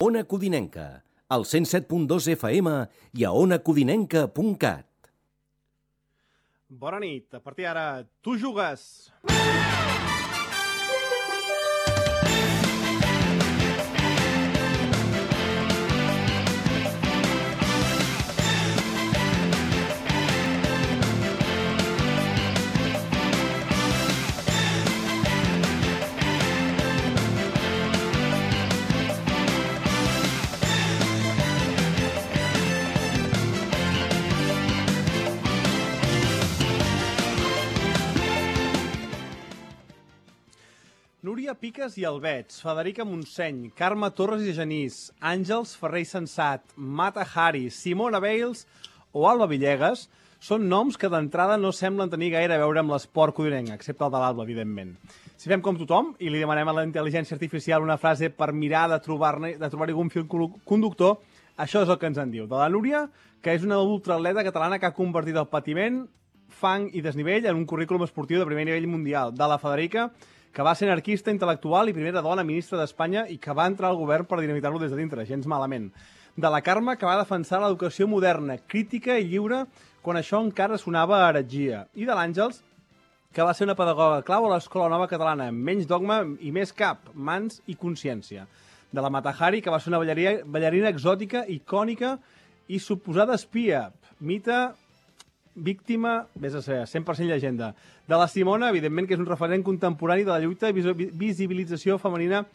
Ona Codinenca, al 107.2 FM i a onacodinenca.cat. Bona nit. A partir d'ara, tu jugues. Núria Piques i Albets, Federica Montseny, Carme Torres i Genís, Àngels Ferrer i Sensat, Mata Hari, Simona Bales o Alba Villegas són noms que d'entrada no semblen tenir gaire a veure amb l'esport codinenc, excepte el de l'Alba, evidentment. Si fem com tothom i li demanem a la intel·ligència artificial una frase per mirar de trobar-hi algun fil conductor, això és el que ens en diu. De la Núria, que és una ultraatleta catalana que ha convertit el patiment, fang i desnivell en un currículum esportiu de primer nivell mundial. De la Federica, que va ser anarquista intel·lectual i primera dona ministra d'Espanya i que va entrar al govern per dinamitar-lo des de dintre, gens malament. De la Carme, que va defensar l'educació moderna, crítica i lliure, quan això encara sonava a heretgia. I de l'Àngels, que va ser una pedagoga clau a l'Escola Nova Catalana, menys dogma i més cap, mans i consciència. De la Mata Hari, que va ser una ballarina exòtica, icònica i suposada espia, mite, víctima, vés a ser, 100% llegenda. De la Simona, evidentment, que és un referent contemporani de la lluita i visibilització femenina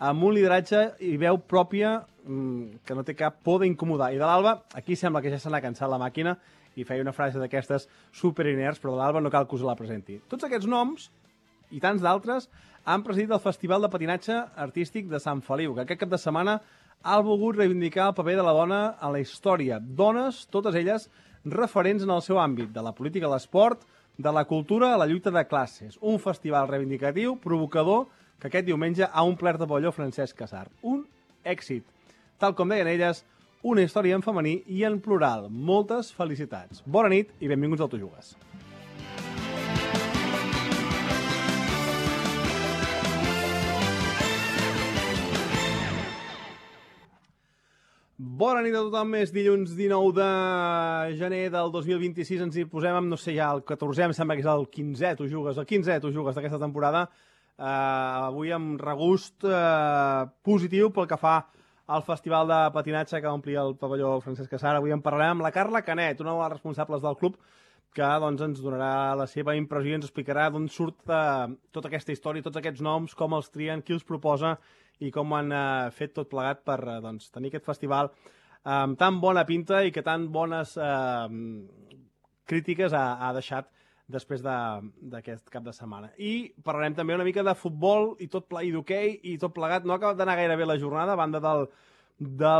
amb un lideratge i veu pròpia que no té cap por d'incomodar. I de l'Alba, aquí sembla que ja se n'ha cansat la màquina i feia una frase d'aquestes superinerts, però de l'Alba no cal que us la presenti. Tots aquests noms, i tants d'altres, han presidit el Festival de Patinatge Artístic de Sant Feliu, que aquest cap de setmana ha volgut reivindicar el paper de la dona a la història. Dones, totes elles, referents en el seu àmbit, de la política a l'esport, de la cultura a la lluita de classes. Un festival reivindicatiu, provocador, que aquest diumenge ha omplert de pavelló Francesc Casar. Un èxit. Tal com deien elles, una història en femení i en plural. Moltes felicitats. Bona nit i benvinguts al Tu Jugues. Bona nit a tothom, és dilluns 19 de gener del 2026, ens hi posem amb, no sé, ja el 14è, em sembla que és el 15è, Tu Jugues, el 15è Tu Jugues d'aquesta temporada, avui amb regust positiu pel que fa al Festival de Patinatge que va omplir el pavelló Francesc Casar. Avui en parlarem amb la Carla Canet, una de les responsables del club, que doncs, ens donarà la seva impressió i ens explicarà d'on surt tota aquesta història, tots aquests noms, com els trien, qui els proposa i com han fet tot plegat per tenir aquest festival amb tan bona pinta i que tan bones crítiques ha deixat després d'aquest cap de setmana. I parlarem també una mica de futbol i d'hoquei i tot plegat. No ha acabat d'anar gaire bé la jornada a banda de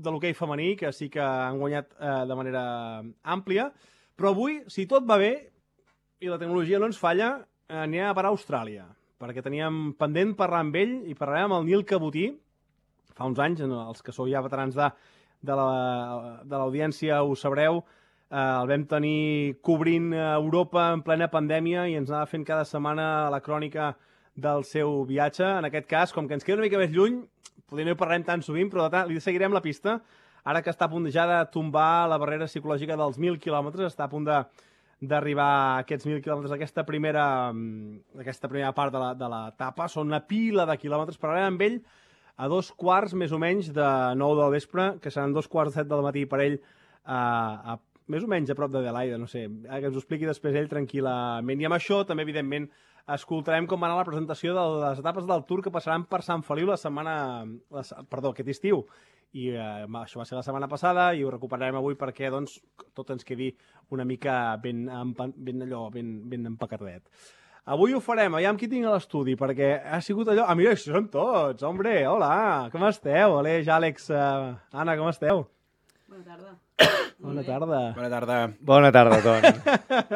l'hoquei femení, que sí que han guanyat de manera àmplia, però avui, si tot va bé i la tecnologia no ens falla, anirem a parar a Austràlia, perquè teníem pendent parlar amb ell i parlarem amb el Nil Cabotí. Fa uns anys, els que sou ja veterans de l'audiència ho sabreu, el vam tenir cobrint Europa en plena pandèmia i ens anava fent cada setmana la crònica del seu viatge. En aquest cas, com que ens queda una mica més lluny, potser no hi parlarem tan sovint, però li seguirem la pista. Ara que està a punt ja de tombar la barrera psicològica dels 1.000 quilòmetres, està a punt d'arribar a aquests 1.000 quilòmetres, aquesta primera part de l'etapa. Són una pila de quilòmetres. Parlarem amb ell a 2:15, més o menys, de 9 del vespre, que seran 2:15 del matí per ell, més o menys a prop de Adelaida, no sé, que ens ho expliqui després ell tranquil·lament. I amb això també, evidentment, escoltarem com va anar la presentació de les etapes del Tour que passaran per Sant Feliu aquest estiu. I això va ser la setmana passada i ho recuperarem avui perquè doncs, tot ens quedi una mica ben empaquetadet. Avui ho farem, aviam qui tinc a l'estudi, perquè ha sigut allò... Ah, mira, això són tots, hombre, hola, com esteu? Aleix, Àlex, Anna, com esteu? Bona tarda. Bona tarda. Bona tarda. Bona tarda, Ton.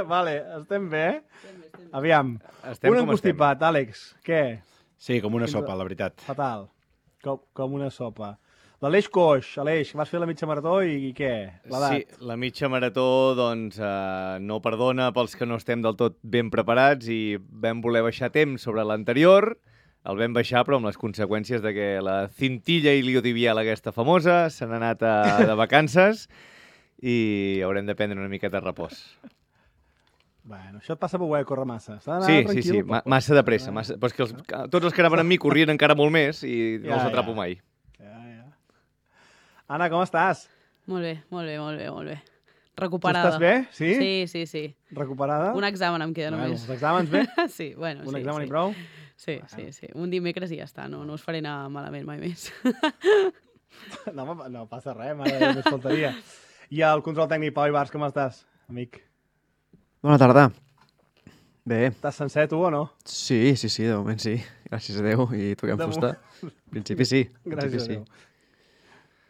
Vale, estem bé? Estem bé. Aviam, un encostipat, Àlex, què? Sí, com una sopa, la veritat. Fatal, com una sopa. L'Aleix Coix, Aleix, vas fer la mitja marató i què? Sí, la mitja marató doncs, no perdona pels que no estem del tot ben preparats i vam voler baixar temps sobre l'anterior. El vam baixar, però amb les conseqüències de que la cintilla iliotibial aquesta famosa se n'ha anat de vacances i haurem de prendre una miqueta de repòs. Bueno, això et passa per voler córrer massa. Sí, massa de pressa. Però és que tots els que anaven amb mi corrien encara molt més i no els atrapo mai. Ja. Anna, com estàs? Molt bé. Recuperada. Tu estàs bé? Sí. Recuperada? Un examen em queda només. Els exàmens bé? Sí, bueno, Un examen i prou? Sí. Un dimecres i ja està, no us faré anar malament mai més. No passa res, mare, només faltaria. I el control tècnic, Pau Ibars, com estàs, amic? Bona tarda. Bé. Estàs sencer, tu, o no? Sí, de moment sí. Gràcies a Déu i toquem fusta. En principi sí. Gràcies a Déu.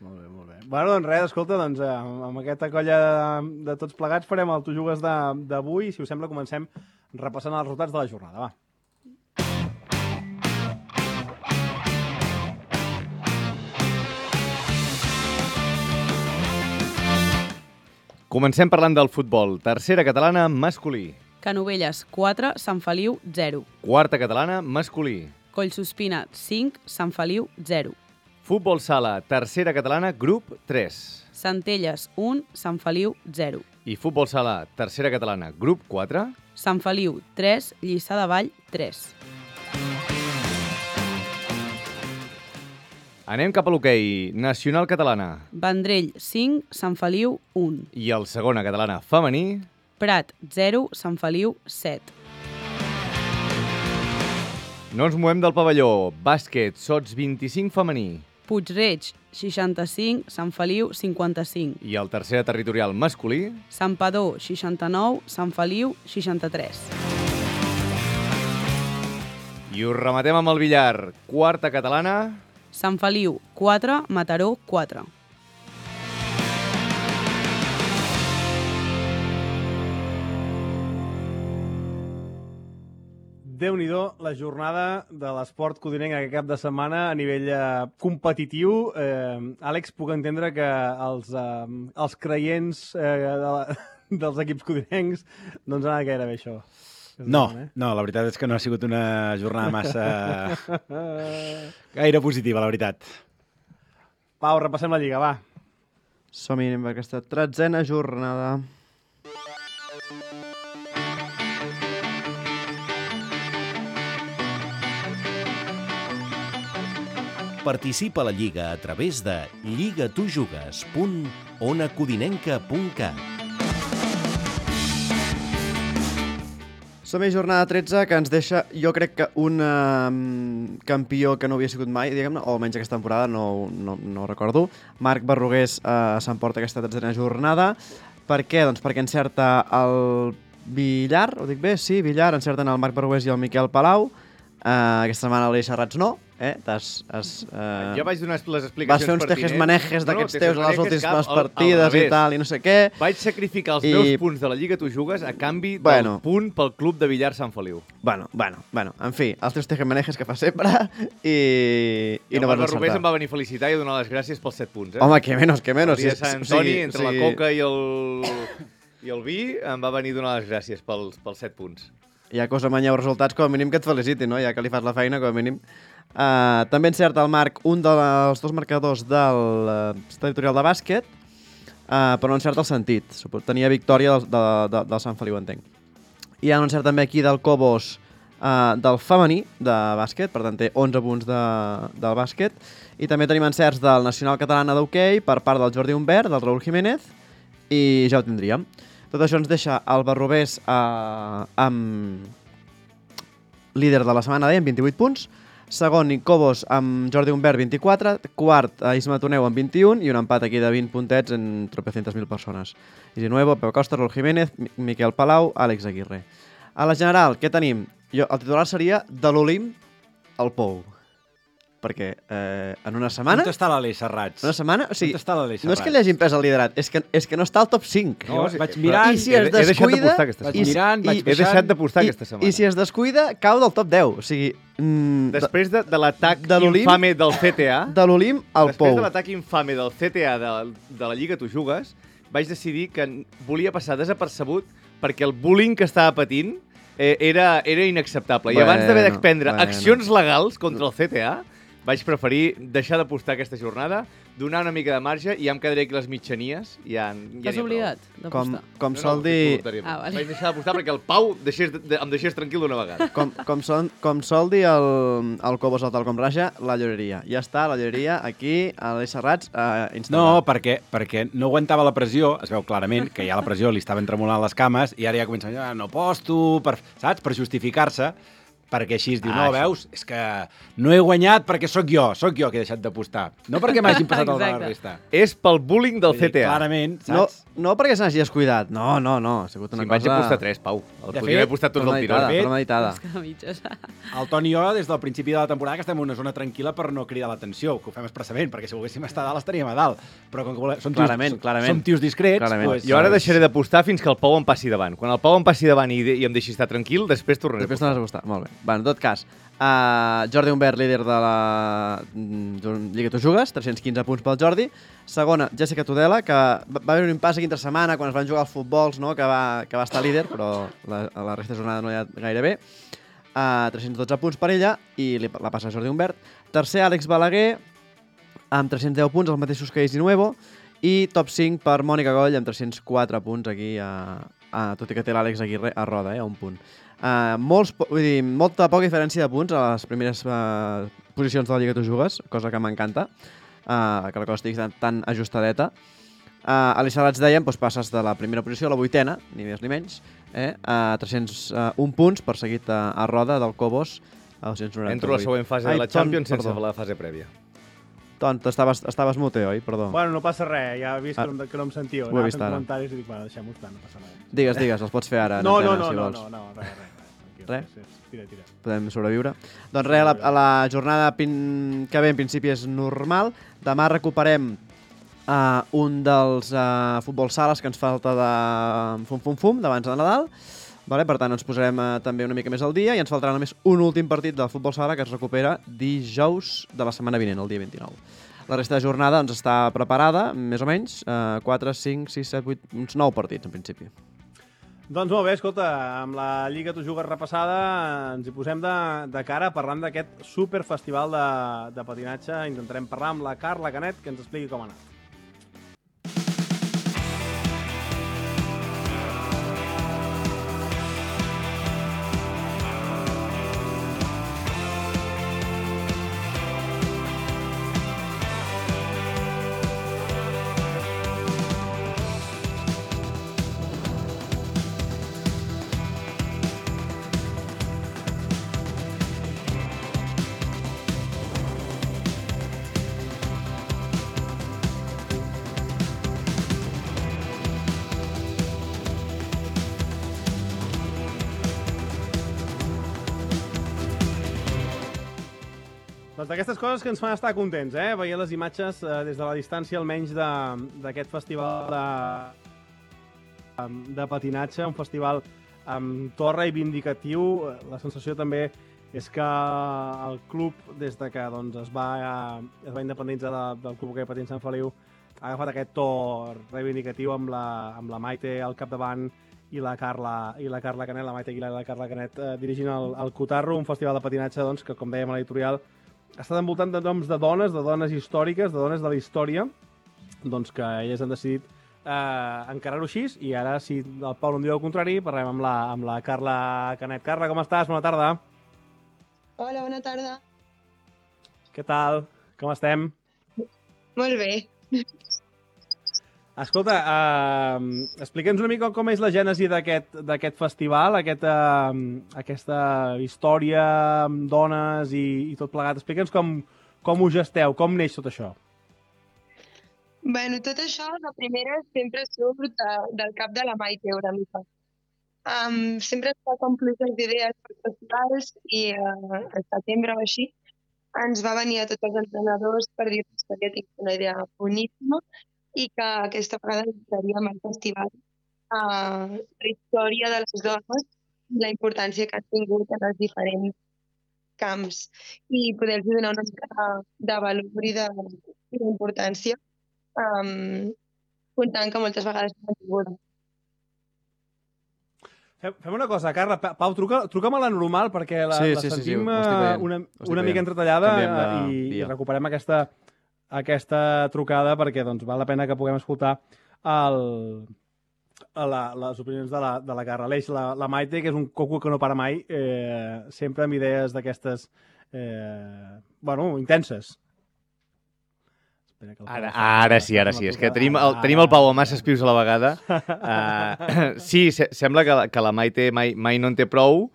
Molt bé. Bueno, doncs res, escolta, amb aquesta colla de tots plegats farem el Tu Jugues d'avui. Si us sembla, comencem repassant els resultats de la jornada, va. Comencem parlant del futbol. Tercera catalana, masculí. Canovelles, 4, Sant Feliu, 0. Quarta catalana, masculí. Collsospina, 5, Sant Feliu, 0. Futbol sala, tercera catalana, grup 3. Centelles, 1, Sant Feliu, 0. I futbol sala, tercera catalana, grup 4. Sant Feliu, 3, Lliçà de Vall, 3. Anem cap a l'hoquei. Nacional catalana. Vendrell, 5, Sant Feliu, 1. I el segona catalana femení. Prat, 0, Sant Feliu, 7. No ens movem del pavelló. Bàsquet, sots 25 femení. Puig-reig, 65, Sant Feliu, 55. I el tercera territorial masculí. Santpedor, 69, Sant Feliu, 63. I ho rematem amb el billar. Quarta catalana. Sant Feliu, 4, Mataró, 4. Déu-n'hi-do la jornada de l'esport codinenc aquest cap de setmana a nivell competitiu. Àlex, puc entendre que els creients dels equips codinencs no ens ha anat gaire bé això. No, la veritat és que no ha sigut una jornada massa gaire positiva, la veritat. Pau, repassem la Lliga, va. Som-hi amb aquesta 13a jornada. Participa a la Lliga a través de lligatujugues.onacodinenca.cat. Som-hi jornada 13, que ens deixa, jo crec que un campió que no havia sigut mai, diguem-ne, o almenys aquesta temporada, no ho recordo. Marc Berrugués s'emporta aquesta 13a jornada. Per què? Doncs perquè encerta el Villar, ho dic bé? Sí, Villar, encerten el Marc Berrugués i el Miquel Palau. Aquesta setmana l'Eli Serrats no. Jo vaig donar les explicacions vas fer uns tejes-manejes d'aquests teus a les últimes partides i tal, i no sé què. Vaig sacrificar els meus punts de la Lliga Tu Jugues a canvi del punt pel club de Villar Sant Feliu. Bueno, en fi, els teus tejes-manejes que fa sempre i no vas encertar. El Rubés em va venir a felicitar i a donar les gràcies pels 7 punts. Home, que menos. El dia de Sant Antoni, entre la coca i el vi, em va venir a donar les gràcies pels 7 punts. Ja que us amanyeu resultats, com a mínim que et feliciti, no? Ja que li fas la feina, com a mínim. També encerta el Marc un dels dos marcadors del territorial de bàsquet, però no encerta el sentit. Tenia victòria del Sant Feliu, entenc. I ja no encerta també aquí del Cobos del femení de bàsquet, per tant té 11 punts del bàsquet. I també tenim encerts del Nacional Catalana d'hoquei per part del Jordi Humbert, del Raúl Jiménez, i ja ho tindríem. Tot això ens deixa el Barrobés amb líder de la setmana, amb 28 punts. Segon, Cobos amb Jordi Humbert, 24. Quart, Isma Toneu amb 21. I un empat aquí de 20 puntets en tropecientas mil persones. Isi Nuevo, Pep Costa, Raúl Jiménez, Miquel Palau, Àlex Aguirre. A la general, què tenim? El titular seria de l'Olimp al Pou. Perquè en una setmana... On està l'Aleix Serrats? Una setmana? O sigui, on està l'Aleix Serrats? no és que li hagin pres el liderat, és que no està al top 5. No, vaig mirant... I si es descuida... He deixat de postar aquesta setmana. I si es descuida, cau del top 10. O sigui... Després de l'atac infame del CTA... De l'Olimp al Pou. Després de l'atac infame del CTA de la Lliga Tu Jugues, vaig decidir que volia passar desapercebut perquè el bullying que estava patint era inacceptable. I abans d'haver de prendre Bueno. accions legals contra el CTA, vaig preferir deixar d'apostar aquesta jornada, donar una mica de marge i ja em quedaré aquí les mitjanies. T'has oblidat d'apostar? Com sol dir... vale. Vaig deixar d'apostar perquè el Pau em deixés tranquil d'una vegada. Com sol dir el Cobos al tal com raja, la lloreria. Ja està, la lloreria aquí, a l'Eix Serrats, No, instal·lat. perquè no aguantava la pressió, es veu clarament que ja la pressió li estaven tremolant les cames i ara ja comença a dir, no aposto, saps? Per justificar-se, perquè així es diu, no, veus? És que no he guanyat perquè sóc jo que he deixat d'apostar. No perquè m'hagin passat el de la resta. És pel bullying del CTA. Clarament, No, saps? no perquè se n'hagi descuidat. No. Ha sigut una Si em vaig cosa... apostar 3, Pau. De Podria haver apostat tots al tiró. Premeditada. És que a mitges. El Toni i jo, des del principi de la temporada, que estem en una zona tranquil·la per no cridar l'atenció, que ho fem expressament, perquè si volguéssim estar a dalt estaríem a dalt. Però com que som Clarament. som tios discrets, Clarament. doncs... Jo ara deixaré d'apostar fins que el Pau em passi davant. Quan el Pau em passi davant i em deixi estar tranquil, després tornaré Després a tornes a apostar. Molt bé. En tot cas, Jordi Humbert, líder de la Lliga Tu Jugues, 315 punts pel Jordi. Segona, Jessica Tudela, que va haver un impàs aquí entre setmana quan es van jugar els futbols, no? que va estar líder, però la resta de jornada no hi ha gaire bé. 312 punts per ella i la passa Jordi Humbert. Tercer, Àlex Balaguer, amb 310 punts, els mateixos que Isi Nuevo. I top 5 per Mònica Goll, amb 304 punts aquí, tot i que té l'Àlex Aguirre a roda, a un punt. Molta poca diferència de punts a les primeres posicions de la Lliga Tu Jugues, cosa que m'encanta, que la cosa estigui tan ajustadeta. A l'Ixalats dèiem, passes de la primera posició a la 8ª, ni més ni menys, a 301 punts, perseguit a roda del Cobos, a 298. Entro a la següent fase de la Champions sense la fase prèvia. Ton, estaves mute, oi? Perdó. Bueno, no passa res, ja he vist que no em sentíeu. Ho he vist ara. Comentaris i dic, bueno, deixem-ho estar, no passa res. Digues, els pots fer ara. No, si vols. res. Res? Tira. Podem sobreviure. Doncs res, a la jornada que ve en principi és normal. Demà recuperem un dels futbol sales que ens falta de fum d'abans de Nadal. Vale? Per tant, ens posarem també una mica més al dia i ens faltarà només un últim partit del futbol sala que es recupera dijous de la setmana vinent, el dia 29. La resta de jornada doncs, està preparada, més o menys, 4, 5, 6, 7, 8, uns 9 partits, en principi. Doncs molt bé, escolta, amb la Lliga Tu Jugues repassada ens hi posem de cara parlant d'aquest superfestival de patinatge. Intentarem parlar amb la Carla Canet, que ens expliqui com ha anat. Doncs d'aquestes coses que ens fan estar contents, veient les imatges des de la distància, almenys d'aquest festival de patinatge, un festival amb to reivindicatiu. La sensació també és que el club, des de que es va independitzar del Club Hoquei Patins Sant Feliu, ha agafat aquest to reivindicatiu amb la Maite al capdavant i la Carla Canet, la Maite Aguilar i la Carla Canet dirigint el Cotarro, un festival de patinatge que, com dèiem a l'editorial, ha estat envoltant de noms de dones històriques, de dones de la història, que elles han decidit encarar-ho així, i ara, si el Pau no em diu el contrari, parlem amb la Carla Canet. Carla, com estàs? Bona tarda. Hola, bona tarda. Què tal? Com estem? Molt bé. Escolta, explica'ns una mica com és la gènesi d'aquest festival, aquesta història amb dones i tot plegat. Explica'ns com ho gesteu, com neix tot això. Bueno, tot això, la primera, sempre surt del cap de la Maite, una mica. Sempre es fa com pluges d'idees per festivals i al setembre o així ens va venir a tots els entrenadors per dir-nos que tinc una idea boníssima i que aquesta vegada dedicaríem al festival a la història de les dones i la importància que han tingut en els diferents camps i poder-los donar una mica de valor i d'importància, comptant que moltes vegades no han tingut. Fem una cosa, Carla. Pau, truca'm a la normal perquè la sentim ho estic veient. una mica entretallada i via. recuperem aquesta trucada perquè doncs, val la pena que puguem escoltar les opinions de la Carla. Aleix, la Maite, que és un coco que no para mai, sempre amb idees d'aquestes intenses. Ara sí. És que tenim el Pau amb masses pius a la vegada. Sí, sembla que la Maite mai no en té prou.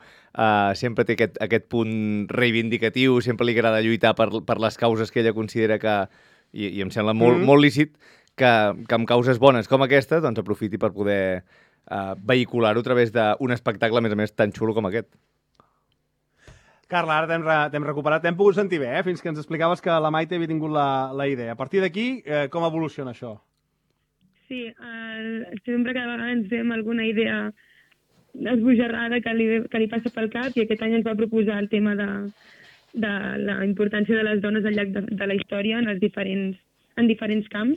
Sempre té aquest punt reivindicatiu, sempre li agrada lluitar per les causes que ella considera que, i em sembla molt lícit, que amb causes bones com aquesta doncs aprofiti per poder vehicular-ho a través d'un espectacle, a més tan xulo com aquest. Carla, ara t'hem recuperat, t'hem pogut sentir bé, fins que ens explicaves que la Maite havia tingut la idea. A partir d'aquí, com evoluciona això? Sí, sempre cada vegada ens veiem alguna idea esbojarrada que li passa pel cap i aquest any ens va proposar el tema de la importància de les dones al llarg de la història en diferents camps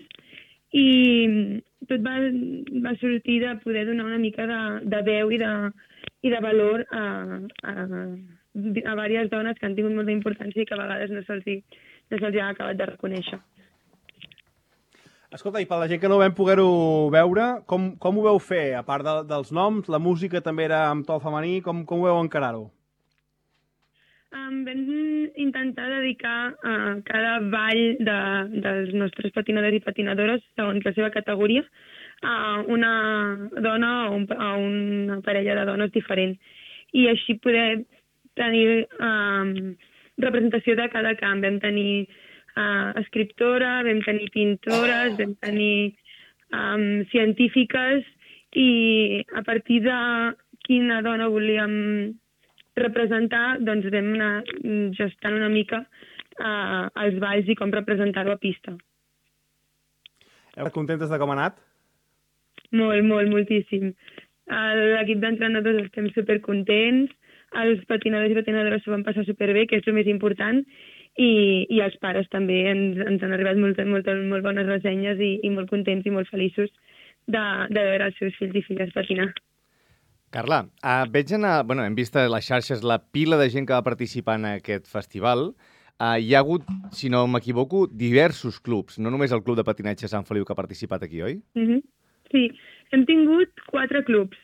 i tot va sortir de poder donar una mica de veu i de valor a diverses dones que han tingut molta importància i que a vegades no se'ls ha acabat de reconèixer. Escolta, i per la gent que no vam poder-ho veure, com ho veu fer? A part dels noms, la música també era amb to femení, com ho veu encarar-ho? Vam intentar dedicar a cada ball dels nostres patinadors i patinadores, segons la seva categoria, a una dona o a una parella de dones diferent. I així poder tenir representació de cada camp. Vam tenir escriptora, vam tenir pintores, vam tenir científiques i a partir de quina dona volíem representar, doncs vam anar gestant una mica els balls i com representar-ho a pista. Heu contentes de com ha anat? Moltíssim. L'equip d'entrenadors estem supercontents, els patinadors i patinadores s'ho van passar superbé, que és el més important, i els pares també ens han arribat molt bones ressenyes i molt contents i molt feliços de veure els seus fills i filles patinar. Carla, hem vist a les xarxes la pila de gent que va participar en aquest festival. Hi ha hagut, si no m'equivoco, diversos clubs, no només el Club de Patinatge Sant Feliu que ha participat aquí, oi? Sí, hem tingut 4 clubs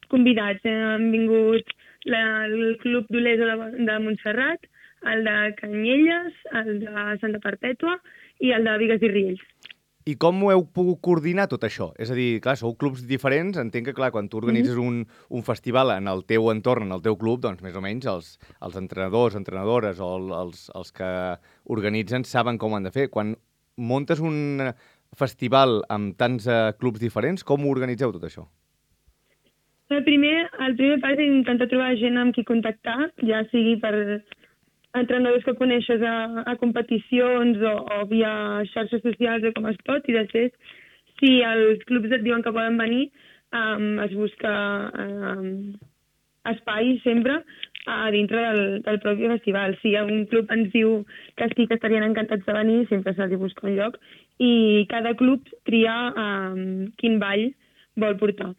convidats. Han vingut el Club d'Olesa de Montserrat, el de Canyelles, el de Santa Perpètua i el de Bigues i Riells. I com ho heu pogut coordinar tot això? És a dir, clar, sou clubs diferents, entenc que, clar, quan tu organitzes un festival en el teu entorn, en el teu club, doncs més o menys els entrenadors, entrenadores o els que organitzen saben com ho han de fer. Quan muntes un festival amb tants clubs diferents, com ho organitzeu tot això? El primer pas és intentar trobar gent amb qui contactar, ja sigui per entrenadors que coneixes a competicions o via xarxes socials o com es pot, i després, si els clubs et diuen que poden venir, es busca espai sempre a dintre del propi festival. Si un club ens diu que sí que estarien encantats de venir, sempre se'ls busca un lloc, i cada club tria quin ball vol portar.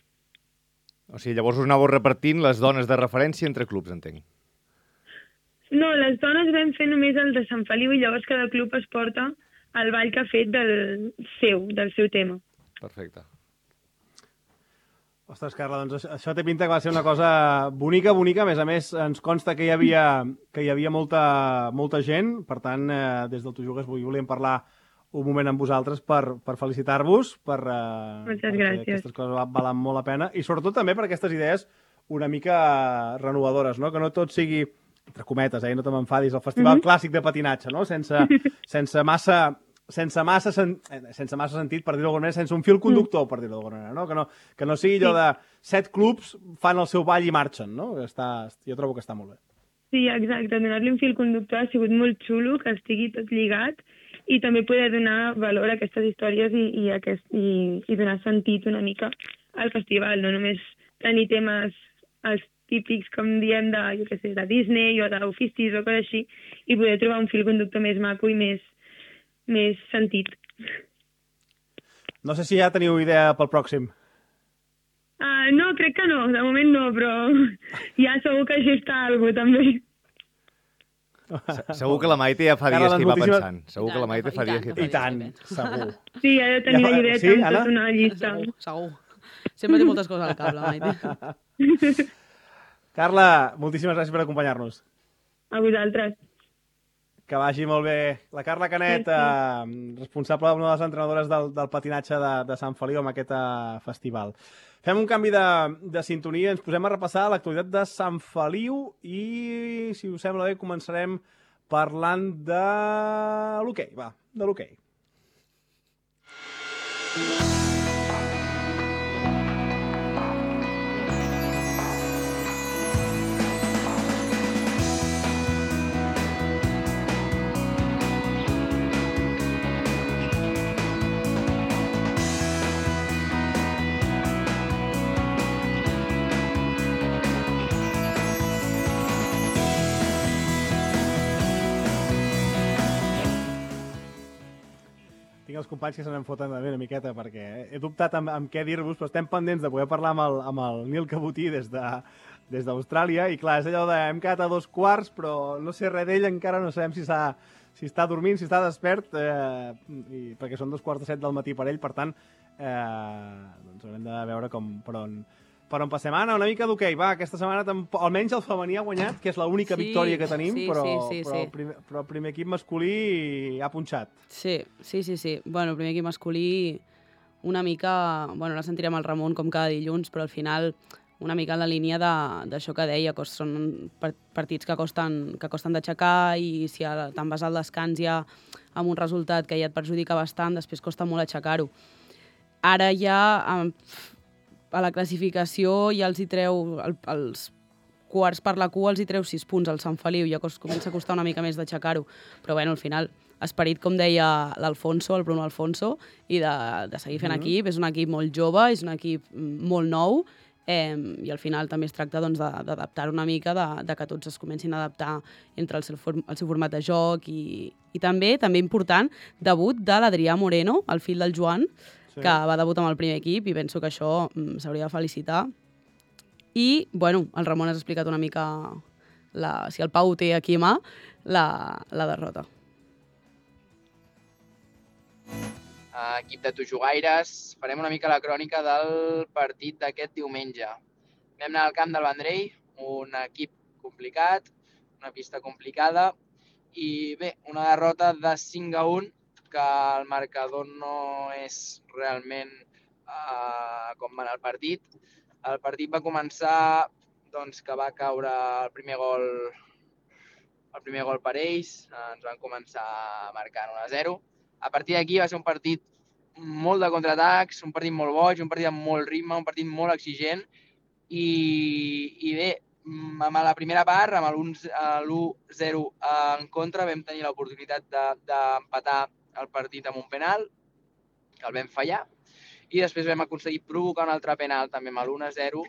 O sigui, llavors us anàveu repartint les dones de referència entre clubs, entenc. No, les dones vam fer només el de Sant Feliu i llavors cada club es porta el ball que ha fet del seu tema. Perfecte. Ostres, Carla, doncs això té pinta que va ser una cosa bonica. A més, ens consta que hi havia molta gent. Per tant, des del Tu Jugues volíem parlar un moment amb vosaltres per felicitar-vos, Moltes gràcies. Aquestes coses valen molt la pena, i sobretot també per aquestes idees una mica renovadores, no? Que no tot sigui, entre cometes, no te m'enfadis, el festival clàssic de patinatge, no? Sense massa sentit, per dir-ho d'alguna manera, sense un fil conductor, per dir-ho d'alguna manera, no? Que no sigui allò de 7 clubs fan el seu ball i marxen, no? Jo trobo que està molt bé. Sí, exacte. Donar-li un fil conductor ha sigut molt xulo, que estigui tot lligat, i també poder donar valor a aquestes històries i donar sentit una mica al festival, no només tenir temes els típics, com diem, de Disney o d'oficis o coses així, i poder trobar un fil conductor més maco i més sentit. No sé si ja teniu idea pel pròxim. No, crec que no, de moment no, però ja segur que així està algú també. Segur que la Maite ja fa dies que hi va pensant. Segur que la Maite fa dies que hi I tant, segur. Sí, ha de tenir la idea Sí, amb Anna? tota una llista. Segur. Sempre té moltes coses al cap, la Maite. Carla, moltíssimes gràcies per acompanyar-nos. A vosaltres. Que vagi molt bé. La Carla Canet, responsable d'una de les entrenadores del patinatge de Sant Feliu amb aquest festival. Fem un canvi de sintonia, ens posem a repassar l'actualitat de Sant Feliu i, si us sembla bé, començarem parlant de l'hoquei. Va, de l'hoquei. Tinc els companys que se n'en foten una miqueta perquè he dubtat amb què dir-vos, però estem pendents de poder parlar amb el Nil Cabotí des d'Austràlia i clar, és allò de hem quedat a 2:15, però no sé res d'ell, encara no sabem si està dormint, si està despert, perquè són 2:45 del matí per ell, per tant, doncs haurem de veure per on passem. Anna, una mica d'hoquei. Va, aquesta setmana almenys el femení ha guanyat, que és l'única victòria que tenim, però el primer equip masculí ha punxat. Sí. Bueno, el primer equip masculí una mica... Bueno, la sentirem al Ramon com cada dilluns, però al final una mica en la línia d'això que deia, que són partits que costen d'aixecar i si te'n vas al descans ja amb un resultat que ja et perjudica bastant, després costa molt aixecar-ho. Ara ja... a la classificació ja els hi treu, els quarts per la cua els hi treu 6 punts al Sant Feliu, ja comença a costar una mica més d'aixecar-ho, però bueno, al final, esperit, com deia l'Alfonso, el Bruno Alfonso, i de seguir fent equip, és un equip molt jove, és un equip molt nou, i al final també es tracta d'adaptar una mica, de que tots es comencin a adaptar entre el seu format de joc i també important, debut de l'Adrià Moreno, el fill del Joan, que va debutar amb el primer equip i penso que això s'hauria de felicitar. I, bueno, el Ramon has explicat una mica, si el Pau té aquí a mà, la derrota. Equip de Tujugaires, farem una mica la crònica del partit d'aquest diumenge. Vam anar al camp del Vendrell, un equip complicat, una pista complicada, i bé, una derrota de 5-1, que el marcador no és realment com va anar el partit. El partit va començar doncs, que va caure el primer gol per ells, ens van començar marcant 1-0. A partir d'aquí va ser un partit molt de contraatacs, un partit molt boig, un partit amb molt ritme, un partit molt exigent i bé, amb la primera part, amb l'1-0 en contra, vam tenir l'oportunitat d'empatar el partit amb un penal, que el vam fallar, i després vam aconseguir provocar un altre penal també amb l'1-0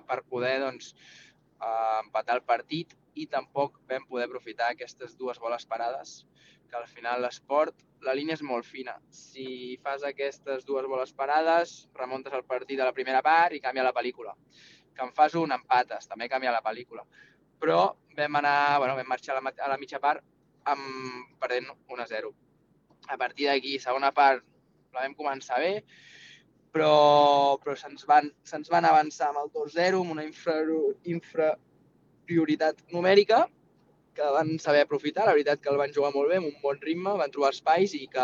per poder empatar el partit i tampoc vam poder aprofitar aquestes dues boles parades, que al final l'esport, la línia és molt fina. Si fas aquestes dues boles parades, remuntes el partit a la primera part i canvia la pel·lícula. Que en fas un, empates, també canvia la pel·lícula. Però vam marxar a la mitja part perdent 1-0. A partir d'aquí, segona part, la vam començar bé, però se'ns van avançar amb el 2-0, amb una inferioritat numèrica, que van saber aprofitar. La veritat que el van jugar molt bé, amb un bon ritme, van trobar espais i que,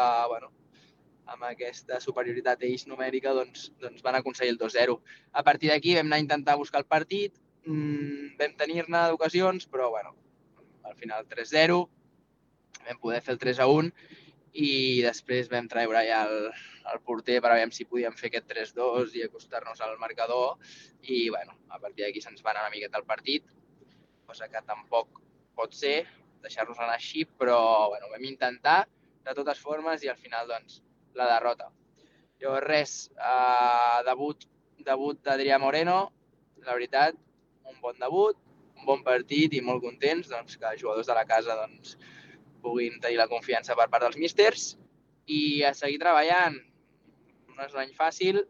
amb aquesta superioritat ells numèrica, doncs van aconseguir el 2-0. A partir d'aquí vam anar a intentar buscar el partit, vam tenir-ne d'ocasions, però, al final 3-0, vam poder fer el 3-1 i després vam treure ja el porter per veure si podíem fer aquest 3-2 i acostar-nos al marcador i, a partir d'aquí se'ns va anar una miqueta el partit, cosa que tampoc pot ser, deixar-nos anar així, però vam intentar de totes formes i al final, la derrota. Llavors, res, debut d'Adrià Moreno, la veritat, un bon debut, un bon partit i molt contents que els jugadors de la casa puguin tenir la confiança per part dels místers i a seguir treballant. No és un any fàcil,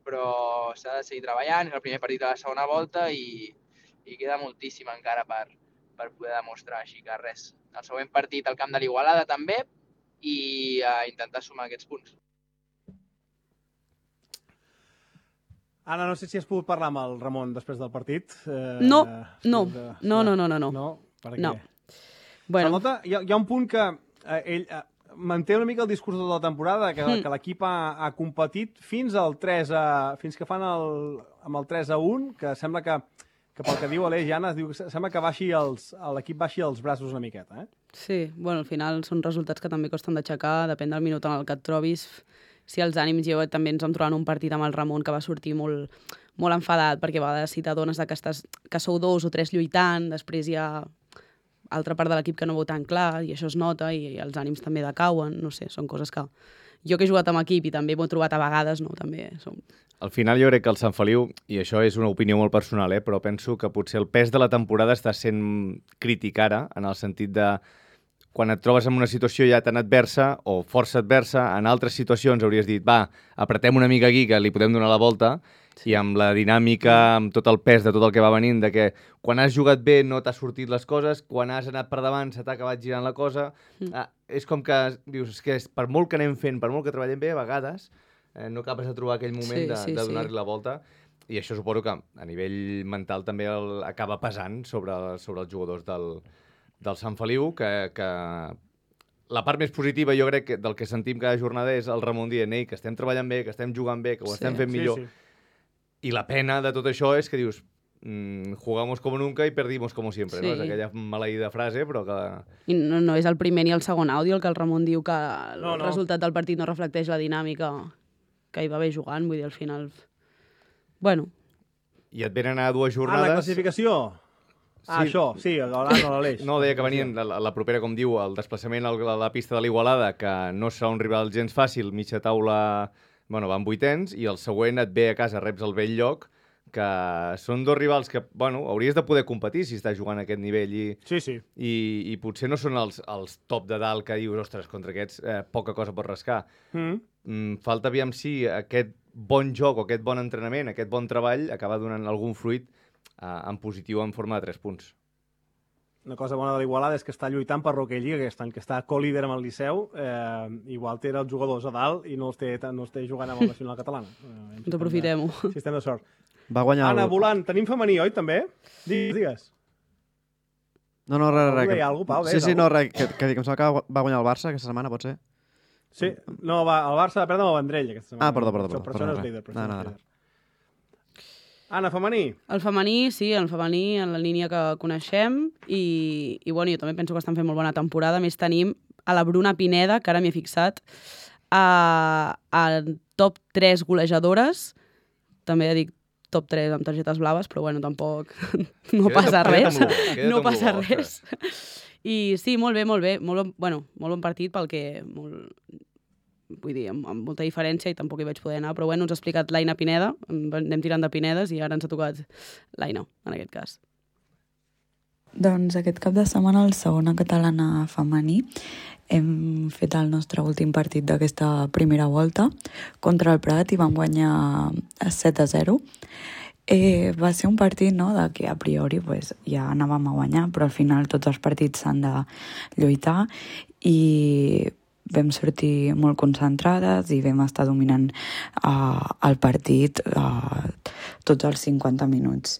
però s'ha de seguir treballant, és el primer partit de la segona volta i queda moltíssim encara per poder demostrar, així que res. El següent partit al camp de l'Igualada també i intentar sumar aquests punts. Anna, no sé si has pogut parlar amb el Ramon després del partit. No. No. Per què? No. Bueno. Nota, hi ha un punt que ell manté una mica el discurs de tota la temporada, que l'equip ha competit fins fins que fan amb el 3-1, que sembla que pel que diu Aleix i Anna, sembla que l'equip baixi els braços una miqueta. Sí, bueno, al final són resultats que també costen d'aixecar, depèn del minut en el que et trobis. Si els ànims, jo també ens vam trobar en un partit amb el Ramon que va sortir molt, molt enfadat, perquè a vegades si t'adones que sou 2 o 3 lluitant, després hi ha altra part de l'equip que no veu tan clar, i això es nota, i els ànims també decauen, no sé, són coses que jo que he jugat amb equip i també m'ho he trobat a vegades, no, també som... Al final jo crec que el Sant Feliu, i això és una opinió molt personal, però penso que potser el pes de la temporada està sent crític ara, en el sentit de quan et trobes en una situació ja tan adversa o força adversa, en altres situacions hauries dit, va, apretem una mica aquí que li podem donar la volta, i amb la dinàmica, amb tot el pes de tot el que va venint, de que quan has jugat bé no t'ha sortit les coses, quan has anat per davant se t'ha acabat girant la cosa. És com que dius, que per molt que anem fent, per molt que treballem bé, a vegades no acabes de trobar aquell moment de donar-li la volta. I això suposo que a nivell mental també acaba pesant sobre els jugadors del Sant Feliu, que la part més positiva jo crec que del que sentim cada jornada és el Ramon dient que estem treballant bé, que estem jugant bé, que ho estem fent millor. I la pena de tot això és que dius jugamos como nunca y perdimos como siempre, no? És aquella maleïda frase, però que... I no és el primer ni el segon àudio el que el Ramon diu que el resultat del partit no reflecteix la dinàmica que hi va haver jugant, vull dir, al final... Bueno. I et venen a 2 jornades... la classificació? Això, sí, l'Aleix. No, deia que venien la propera, com diu, el desplaçament a la pista de l'Igualada, que no serà un rival gens fàcil, mitja taula... Bueno, van 8ens, i el següent et ve a casa, reps el vell lloc, que són 2 rivals que, bueno, hauries de poder competir si estàs jugant a aquest nivell i potser no són els top de dalt que dius, ostres, contra aquests poca cosa pot rascar. Falta aviam si aquest bon joc o aquest bon entrenament, aquest bon treball acaba donant algun fruit en positiu en forma de 3 punts. Una cosa bona de l'Igualada és que està lluitant per Hockey Lliga aquest any, que està co-líder amb el Liceu. Igual té els jugadors a dalt i no els té jugant amb el Nacional Catalana. Doncs aprofitem-ho. Si estem de sort. Va guanyar Anna, volant, tenim femení, oi, també? Digues. No, res. Deia alguna cosa, Pau? Sí, no, res, que em sembla que va guanyar el Barça aquesta setmana, pot ser? Sí, no, el Barça va perdre amb el Vendrell aquesta setmana. Perdó. Per això no és líder. No. Anna, femení. El femení, sí, el femení en la línia que coneixem i bueno, jo també penso que estan fent molt bona temporada. A més, tenim a la Bruna Pineda, que ara m'hi he fixat, a top 3 golejadores. També dic top 3 amb targetes blaves, però bueno, tampoc no passa res. No passa res. I sí, molt bé. Molt bon partit pel que... Vull dir, amb molta diferència i tampoc hi vaig poder anar, però bueno, ens ha explicat l'Aina Pineda, anem tirant de Pinedes i ara ens ha tocat l'Aina, en aquest cas. Doncs aquest cap de setmana al segona catalana femení hem fet el nostre últim partit d'aquesta primera volta contra el Prat i vam guanyar 7-0. Va ser un partit de que a priori ja anàvem a guanyar, però al final tots els partits s'han de lluitar i vam sortir molt concentrades i vam estar dominant el partit tots els 50 minuts.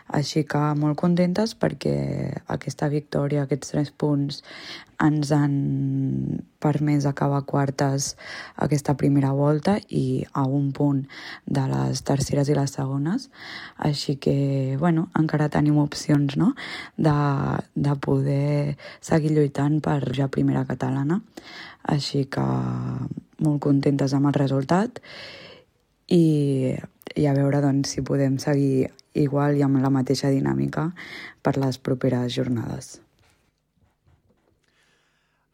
Així que molt contentes perquè aquesta victòria, aquests 3 punts, ens han permès acabar quartes aquesta primera volta i a un punt de les terceres i les segones. Així que, bueno, encara tenim opcions, no?, de poder seguir lluitant per ja primera catalana. Així que molt contentes amb el resultat i a veure doncs, si podem seguir igual i amb la mateixa dinàmica per les properes jornades.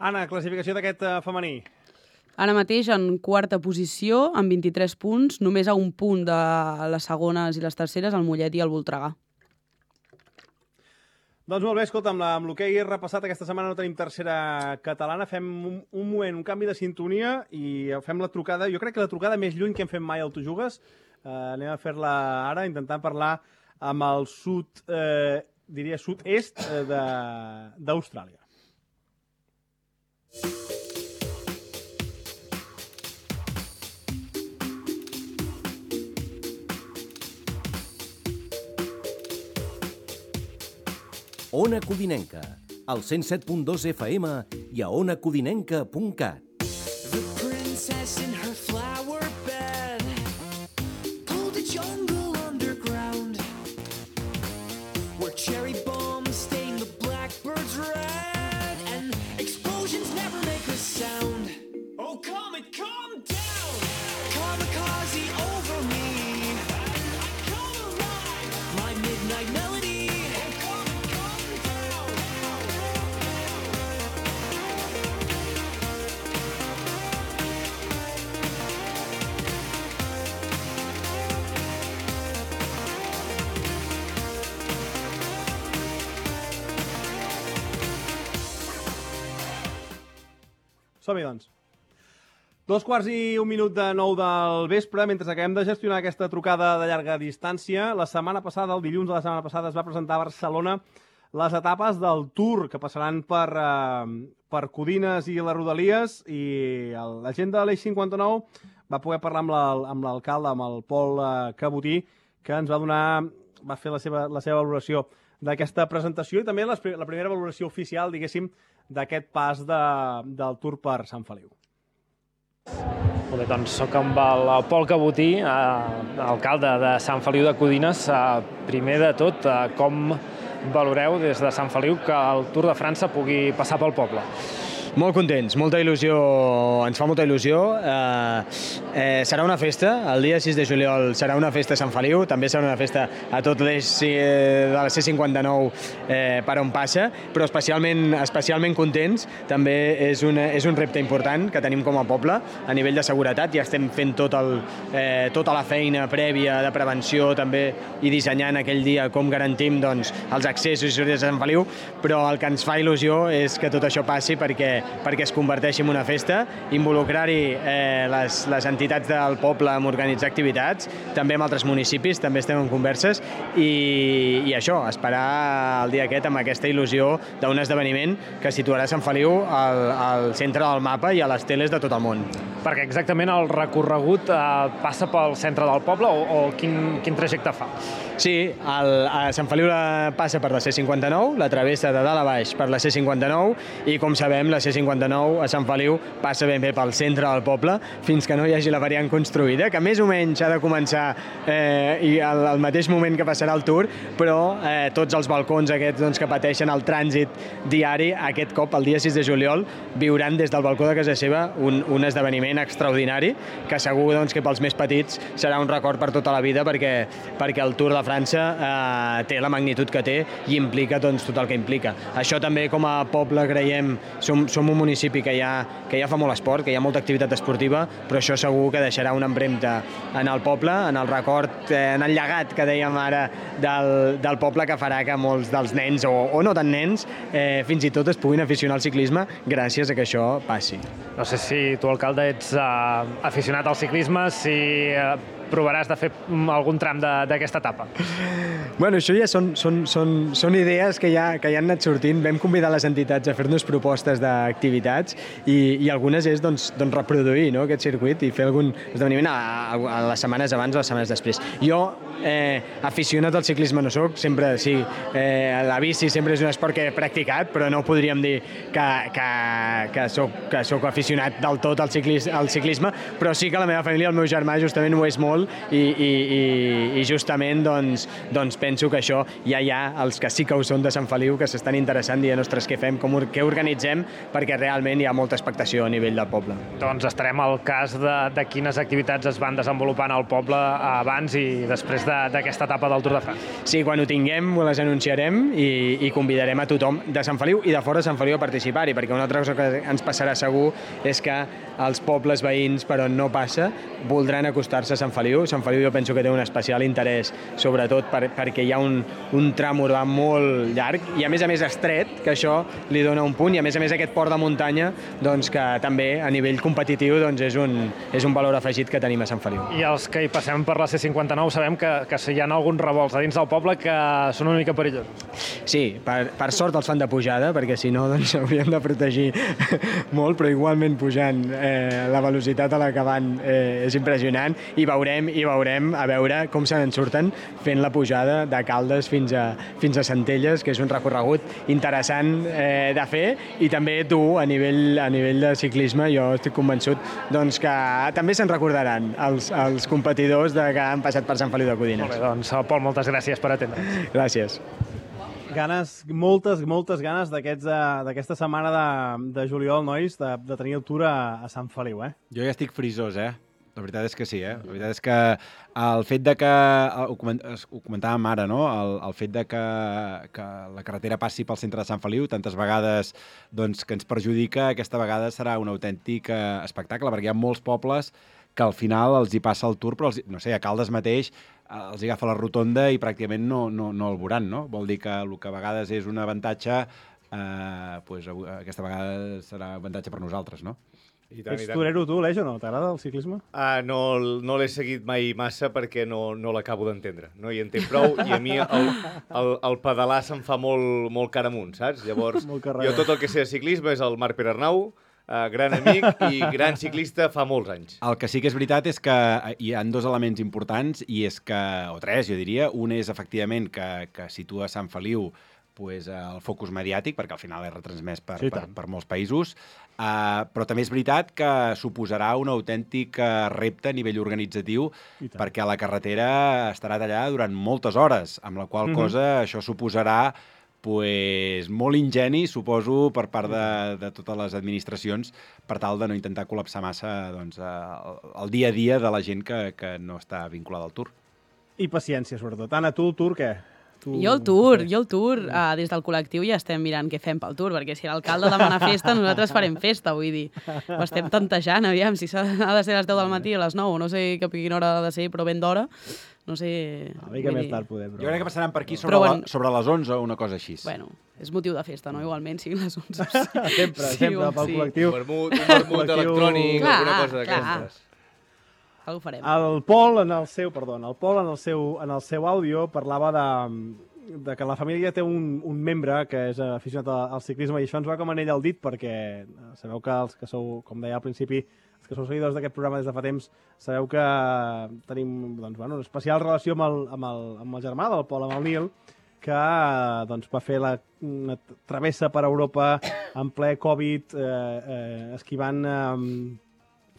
Anna, classificació d'aquest femení. Ara mateix en quarta posició, amb 23 punts, només a un punt de les segones i les terceres, el Mollet i el Voltregà. Doncs molt bé, escolta, amb l'hoquei repassat aquesta setmana no tenim tercera catalana, fem un moment, un canvi de sintonia i fem la trucada, jo crec que la trucada més lluny que hem fet mai al Tu Jugues, Anem a fer-la ara, intentant parlar amb el diria sud-est d'Austràlia. Ona Codinenca, al 107.2 FM i a onacodinenca.cat. The princess in her flower bed pulled a jungle underground where cherry bombs stain the blackbirds red and explosions never make a sound. Oh, comet, calm down! Kamikaze over me. I come alive! My midnight melody. Som-hi, doncs. 2:15 del vespre, mentre acabem de gestionar aquesta trucada de llarga distància. La setmana passada, el dilluns de la setmana passada, es va presentar a Barcelona les etapes del Tour, que passaran per Codines i les Rodalies, i la gent de l'Eix 59 va poder parlar amb l'alcalde, amb el Pol Cabotí, que ens va fer la seva valoració d'aquesta presentació i també la primera valoració oficial, diguéssim, d'aquest pas del Tour per Sant Feliu. Molt bé, doncs soc amb el Pol Cabotí, alcalde de Sant Feliu de Codines. Primer de tot, com valoreu des de Sant Feliu que el Tour de França pugui passar pel poble? Molt contents, molta il·lusió, ens fa molta il·lusió. Serà una festa, el dia 6 de juliol serà una festa a Sant Feliu, també serà una festa a tot l'eix de la C59 per on passa, però especialment contents. També és un repte important que tenim com a poble a nivell de seguretat. Ja estem fent tota la feina prèvia de prevenció també i dissenyant aquell dia com garantim els accessos i sortides a Sant Feliu, però el que ens fa il·lusió és que tot això passi perquè es converteixi en una festa, involucrar-hi les entitats del poble amb organitzar activitats, també amb altres municipis, també estem en converses, i això, esperar el dia aquest amb aquesta il·lusió d'un esdeveniment que situarà Sant Feliu al centre del mapa i a les teles de tot el món. Perquè exactament el recorregut passa pel centre del poble o quin trajecte fa? Sí, a Sant Feliu passa per la C59, la travessa de dalt a baix per la C59 i, com sabem, la C59 a Sant Feliu passa ben bé pel centre del poble fins que no hi hagi la variant construïda, que més o menys ha de començar i al mateix moment que passarà el Tour, però tots els balcons aquests que pateixen el trànsit diari, aquest cop, el dia 6 de juliol, viuran des del balcó de casa seva un esdeveniment extraordinari que segur que pels més petits serà un record per tota la vida perquè el Tour de França té la magnitud que té i implica tot el que implica. Això també com a poble creiem, som un municipi que ja fa molt esport, que hi ha molta activitat esportiva, però això segur que deixarà una empremta en el poble, en el record, en el llegat que dèiem ara del poble, que farà que molts dels nens, o no tan nens, fins i tot es puguin aficionar al ciclisme gràcies a que això passi. No sé si tu, alcalde, ets aficionat al ciclisme, si provaràs de fer algun tram d'aquesta etapa. Bueno, això ja són idees que ja han anat sortint. Vam convidar les entitats a fer-nos propostes d'activitats i algunes és reproduir aquest circuit i fer algun esdeveniment a les setmanes abans o les setmanes després. Jo, aficionat al ciclisme no soc, sempre sí, la bici sempre és un esport que he practicat, però no podríem dir que soc aficionat del tot al ciclisme, però sí que la meva família, el meu germà, justament ho és molt i justament penso que això ja hi ha els que sí que ho són de Sant Feliu que s'estan interessant dient, ostres, què fem, què organitzem, perquè realment hi ha molta expectació a nivell del poble. Doncs estarem al cas de quines activitats es van desenvolupant al poble abans i després d'aquesta etapa del Tour de France. Sí, quan ho tinguem les anunciarem i convidarem a tothom de Sant Feliu i de fora de Sant Feliu a participar-hi, perquè una altra cosa que ens passarà segur és que els pobles veïns per on no passa voldran acostar-se a Sant Feliu. Sant Feliu jo penso que té un especial interès, sobretot perquè hi ha un tram urbà molt llarg i a més estret, que això li dona un punt, i a més aquest port de muntanya doncs, que també a nivell competitiu doncs, és un valor afegit que tenim a Sant Feliu. I els que hi passem per la C59 sabem que hi ha alguns revolts a dins del poble que són una mica perillosos. Sí, per sort els fan de pujada, perquè si no doncs hauríem de protegir molt, però igualment pujant la velocitat a la que van és impressionant, i veurem a veure com se n'en surten fent la pujada de Caldes fins a Centelles, que és un recorregut interessant de fer, i també dur a nivell de ciclisme. Jo estic convençut doncs, que també se'n recordaran els competidors que han passat per Sant Feliu de Codines. Molt bé, doncs, Pol, moltes gràcies per atendre'ns. Gràcies. Moltes ganes d'aquesta setmana de juliol, nois, de tenir el Tour a Sant Feliu, eh? Jo ja estic frisós, eh? La veritat és que sí, eh? La veritat és que el fet de que, ho comentàvem ara, no? El fet de que la carretera passi pel centre de Sant Feliu tantes vegades doncs, que ens perjudica, aquesta vegada serà un autèntic espectacle, perquè hi ha molts pobles que al final els hi passa el Tour, però no sé, a Caldes mateix els hi agafa la rotonda i pràcticament no el veuran, no? Vol dir que el que a vegades és un avantatge, doncs aquesta vegada serà un avantatge per nosaltres, no? Ets torero tu, Aleix, o no? T'agrada el ciclisme? No l'he seguit mai massa perquè no l'acabo d'entendre. No hi entenc prou i a mi el pedalar se'm fa molt cara amunt, saps? Llavors, jo tot el que sé de ciclisme és el Marc Pere Arnau, gran amic i gran ciclista fa molts anys. El que sí que és veritat és que hi ha dos elements importants, i és que, o tres, jo diria. Un és, efectivament, que situa Sant Feliu el focus mediàtic, perquè al final és retransmès per molts països, però també és veritat que suposarà un autèntic repte a nivell organitzatiu, perquè la carretera estarà tallada durant moltes hores, amb la qual cosa això suposarà molt ingeni, suposo, per part de totes les administracions, per tal de no intentar col·lapsar massa el dia a dia de la gent que no està vinculada al Tour. I paciència, sobretot. Anna, tu el Tour què? Jo el Tour, des del col·lectiu ja estem mirant què fem pel Tour, perquè si l'alcalde demana festa, nosaltres farem festa, vull dir. Ho estem tantejant, aviam, si ha de ser a les 10 del matí o a les 9, no sé a quina hora ha de ser, però ben d'hora, no sé... Una mica més tard, poder, però... Jo crec que passaran per aquí sobre les 11 o una cosa així. Bueno, és motiu de festa, no? Igualment, siguin les 11. Sempre, pel col·lectiu. Un vermut electrònic, alguna cosa d'aquestes. Ho farem. El Pol, en el seu àudio, parlava de que la família té un membre que és aficionat al ciclisme, i això ens va com anell al dit, perquè sabeu que els que sou, com deia al principi, els que sou seguidors d'aquest programa des de fa temps, sabeu que tenim una especial relació amb el germà del Pol, amb el Nil, que va fer una travessa per Europa en ple Covid, esquivant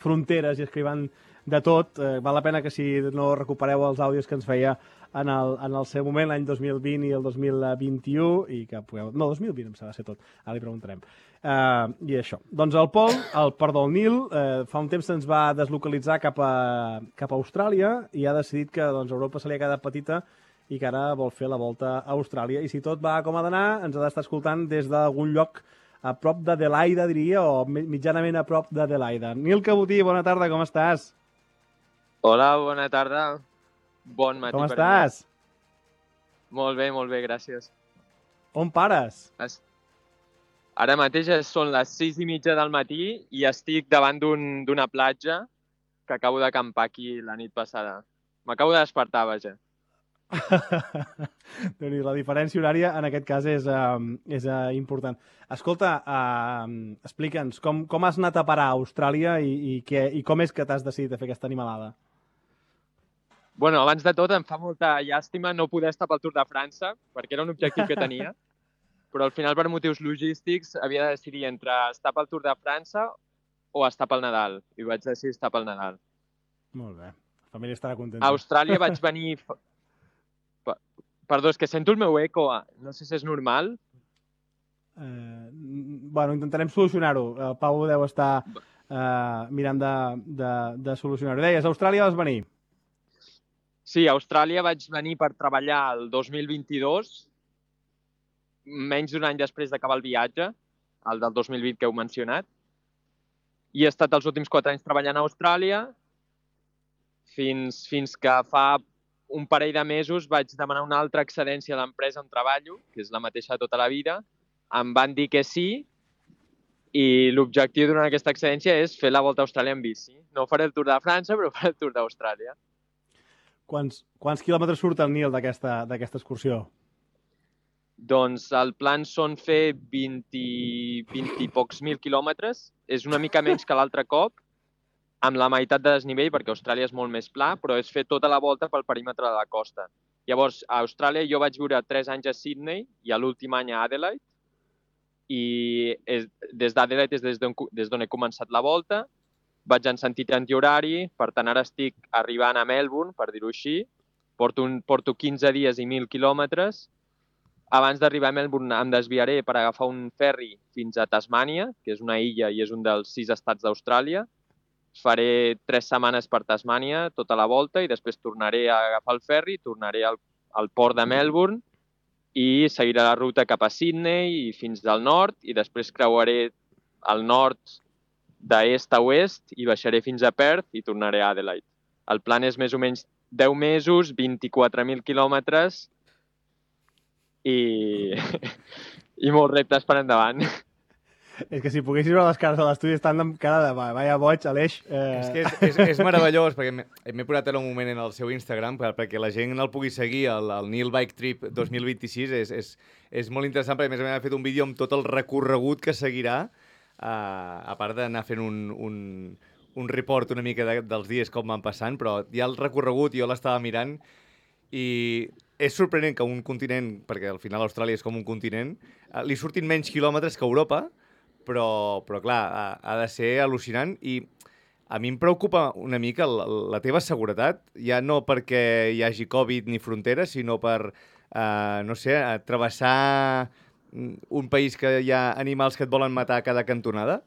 fronteres i esquivant de tot. Val la pena que si no recupereu els àudios que ens feia en el seu moment, l'any 2020 i el 2021, i que pugueu... No, 2020 em sembla ser tot, ara li preguntarem. I això. Doncs el Nil, fa un temps se'ns va deslocalitzar cap a Austràlia i ha decidit que Europa se li ha quedat petita i que ara vol fer la volta a Austràlia. I si tot va com ha d'anar, ens ha d'estar escoltant des d'algun lloc a prop d'Adelaida, diria, o mitjanament a prop d'Adelaida. Nil Cabotí, bona tarda, com estàs? Hola, bona tarda. Bon matí. Com estàs? Molt bé, gràcies. On pares? Ara mateix són les 6:30 del matí i estic davant d'una platja que acabo d'acampar aquí la nit passada. M'acabo de despertar, vaja. La diferència horària en aquest cas és important. Escolta, explica'ns, com has anat a parar a Austràlia i com és que t'has decidit a fer aquesta animalada? Bueno, abans de tot, em fa molta llàstima no poder estar pel Tour de França, perquè era un objectiu que tenia, però al final, per motius logístics, havia de decidir entre estar pel Tour de França o estar pel Nadal. I vaig decidir estar pel Nadal. Molt bé. La família estarà contenta. A Austràlia vaig venir... Perdó, és que sento el meu eco. No sé si és normal. Bueno, intentarem solucionar-ho. El Pau deu estar mirant de solucionar-ho. Deies, a Austràlia vas venir? Sí, a Austràlia vaig venir per treballar el 2022, menys d'un any després d'acabar el viatge, el del 2020 que heu mencionat, i he estat els últims 4 anys treballant a Austràlia fins que fa un parell de mesos vaig demanar una altra excedència a l'empresa on treballo, que és la mateixa de tota la vida. Em van dir que sí i l'objectiu durant aquesta excedència és fer la Volta a Austràlia en bici. No faré el Tour de França, però faré el Tour d'Austràlia. Quants quilòmetres surt el Nil d'aquesta excursió? Doncs el plan són fer 20 i pocs mil quilòmetres. És una mica menys que l'altre cop, amb la meitat de desnivell, perquè Austràlia és molt més pla, però és fer tota la volta pel perímetre de la costa. Llavors, a Austràlia jo vaig viure 3 anys a Sydney i a l'últim any a Adelaide, i des d'Adelaide és des d'on he començat la volta. Vaig en sentit antihorari, per tant ara estic arribant a Melbourne, per dir-ho així. Porto 15 dies i 1.000 quilòmetres. Abans d'arribar a Melbourne em desviaré per agafar un ferri fins a Tasmània, que és una illa i és un dels 6 estats d'Austràlia. Faré 3 setmanes per Tasmània, tota la volta, i després tornaré a agafar el ferri, tornaré al port de Melbourne i seguiré la ruta cap a Sydney i fins al nord, i després creuaré al nord d'est a oest i baixaré fins a Perth i tornaré a Adelaide. El plan és més o menys 10 mesos, 24.000 quilòmetres i molts reptes per endavant. És que si poguessis veure les cares de l'estudi estan amb cara de vaya boig, Aleix. És que és meravellós, perquè m'he posat ara un moment en el seu Instagram perquè la gent el pugui seguir, el Nil Bike Trip 2026. És molt interessant, perquè a més ha fet un vídeo amb tot el recorregut que seguirà, a part d'anar fent un report una mica dels dies com van passant, però ja el recorregut jo l'estava mirant i és sorprenent que un continent, perquè al final Austràlia és com un continent, li surtin menys quilòmetres que Europa, però clar, ha de ser al·lucinant, i a mi em preocupa una mica la teva seguretat, ja no perquè hi hagi Covid ni fronteres, sinó per, no sé, travessar un país que hi ha animals que et volen matar a cada cantonada.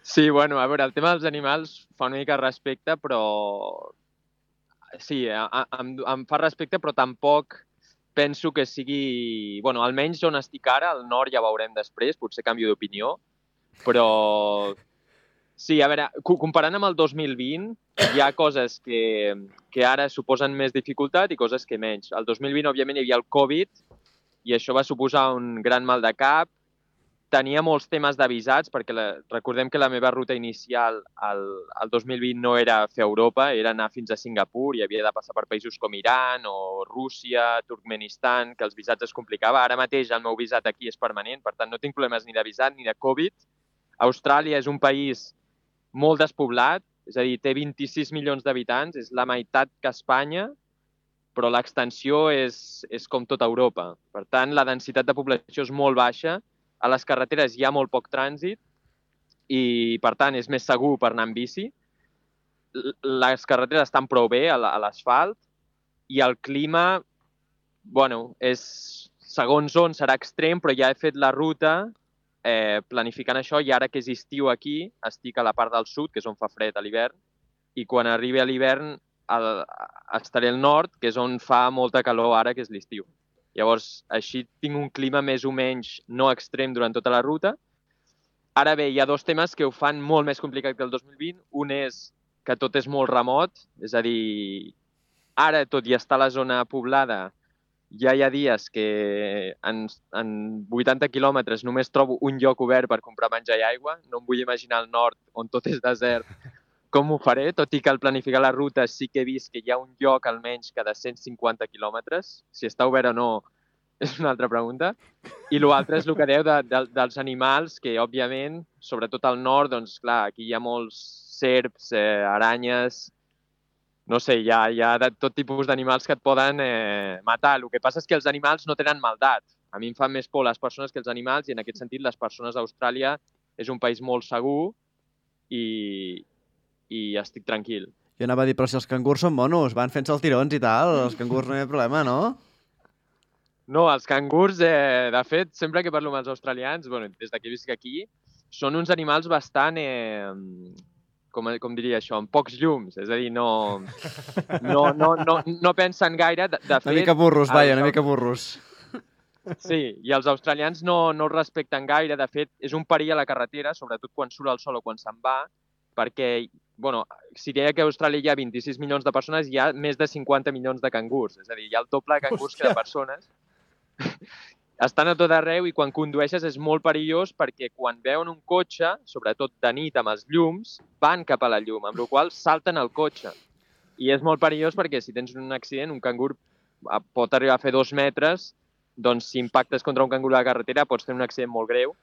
Sí, bueno, a veure, el tema dels animals fa una mica respecte, però sí, em fa respecte, però tampoc penso que sigui... Bueno, almenys on estic ara, al nord ja veurem després, potser canvio d'opinió, però sí, a veure, comparant amb el 2020, hi ha coses que ara suposen més dificultat i coses que menys. El 2020, òbviament, hi havia el Covid i això va suposar un gran mal de cap. Tenia molts temes d'avisats, perquè recordem que la meva ruta inicial al 2020 no era fer Europa, era anar fins a Singapur i havia de passar per països com Iran o Rússia, Turkmenistan, que els visats es complicava. Ara mateix el meu visat aquí és permanent, per tant no tinc problemes ni de visat ni de Covid. Austràlia és un país molt despoblat, és a dir, té 26 milions d'habitants, és la meitat que Espanya, però l'extensió és com tota Europa. Per tant, la densitat de població és molt baixa, a les carreteres hi ha molt poc trànsit i, per tant, és més segur per anar en bici. Les carreteres estan prou bé a l'asfalt i el clima, bueno, segons on serà extrem, però ja he fet la ruta planificant això, i ara que és estiu aquí, estic a la part del sud, que és on fa fred a l'hivern, i quan arribi a l'hivern estaré al nord, que és on fa molta calor ara, que és l'estiu. Llavors, així tinc un clima més o menys no extrem durant tota la ruta. Ara bé, hi ha 2 temes que ho fan molt més complicat que el 2020. Un és que tot és molt remot, és a dir, ara, tot i estar a la zona poblada, ja hi ha dies que en 80 quilòmetres només trobo un lloc obert per comprar menjar i aigua. No em vull imaginar al nord, on tot és desert, com ho faré, tot i que al planificar la ruta sí que he vist que hi ha un lloc almenys cada 150 quilòmetres. Si està obert o no és una altra pregunta. I l'altre és el que dèieu dels animals, que òbviament, sobretot al nord, doncs clar, aquí hi ha molts serps, aranyes, no sé, hi ha de tot tipus d'animals que et poden matar. El que passa és que els animals no tenen maldat. A mi em fan més por les persones que els animals, i en aquest sentit les persones d'Austràlia és un país molt segur i estic tranquil. Jo anava a dir, però si els cangurs són monos, van fent-se els tirons i tal, els cangurs no hi ha problema, no? No, els cangurs, de fet, sempre que parlo amb els australians, bueno, des que visc aquí, són uns animals bastant, com diria això, amb pocs llums, és a dir, no pensen gaire. De fet, una mica burros, una mica burros. Sí, i els australians no el respecten gaire. De fet, és un perill a la carretera, sobretot quan surt el sol o quan se'n va, perquè, bueno, si deia que a Austràlia hi ha 26 milions de persones, hi ha més de 50 milions de cangurs. És a dir, hi ha el doble de cangurs que de persones. Estan a tot arreu i quan condueixes és molt perillós perquè quan veuen un cotxe, sobretot de nit amb els llums, van cap a la llum, amb la qual cosa salten el cotxe. I és molt perillós perquè si tens un accident, un cangur pot arribar a fer 2 metres, doncs si impactes contra un cangur a la carretera pots tenir un accident molt greu.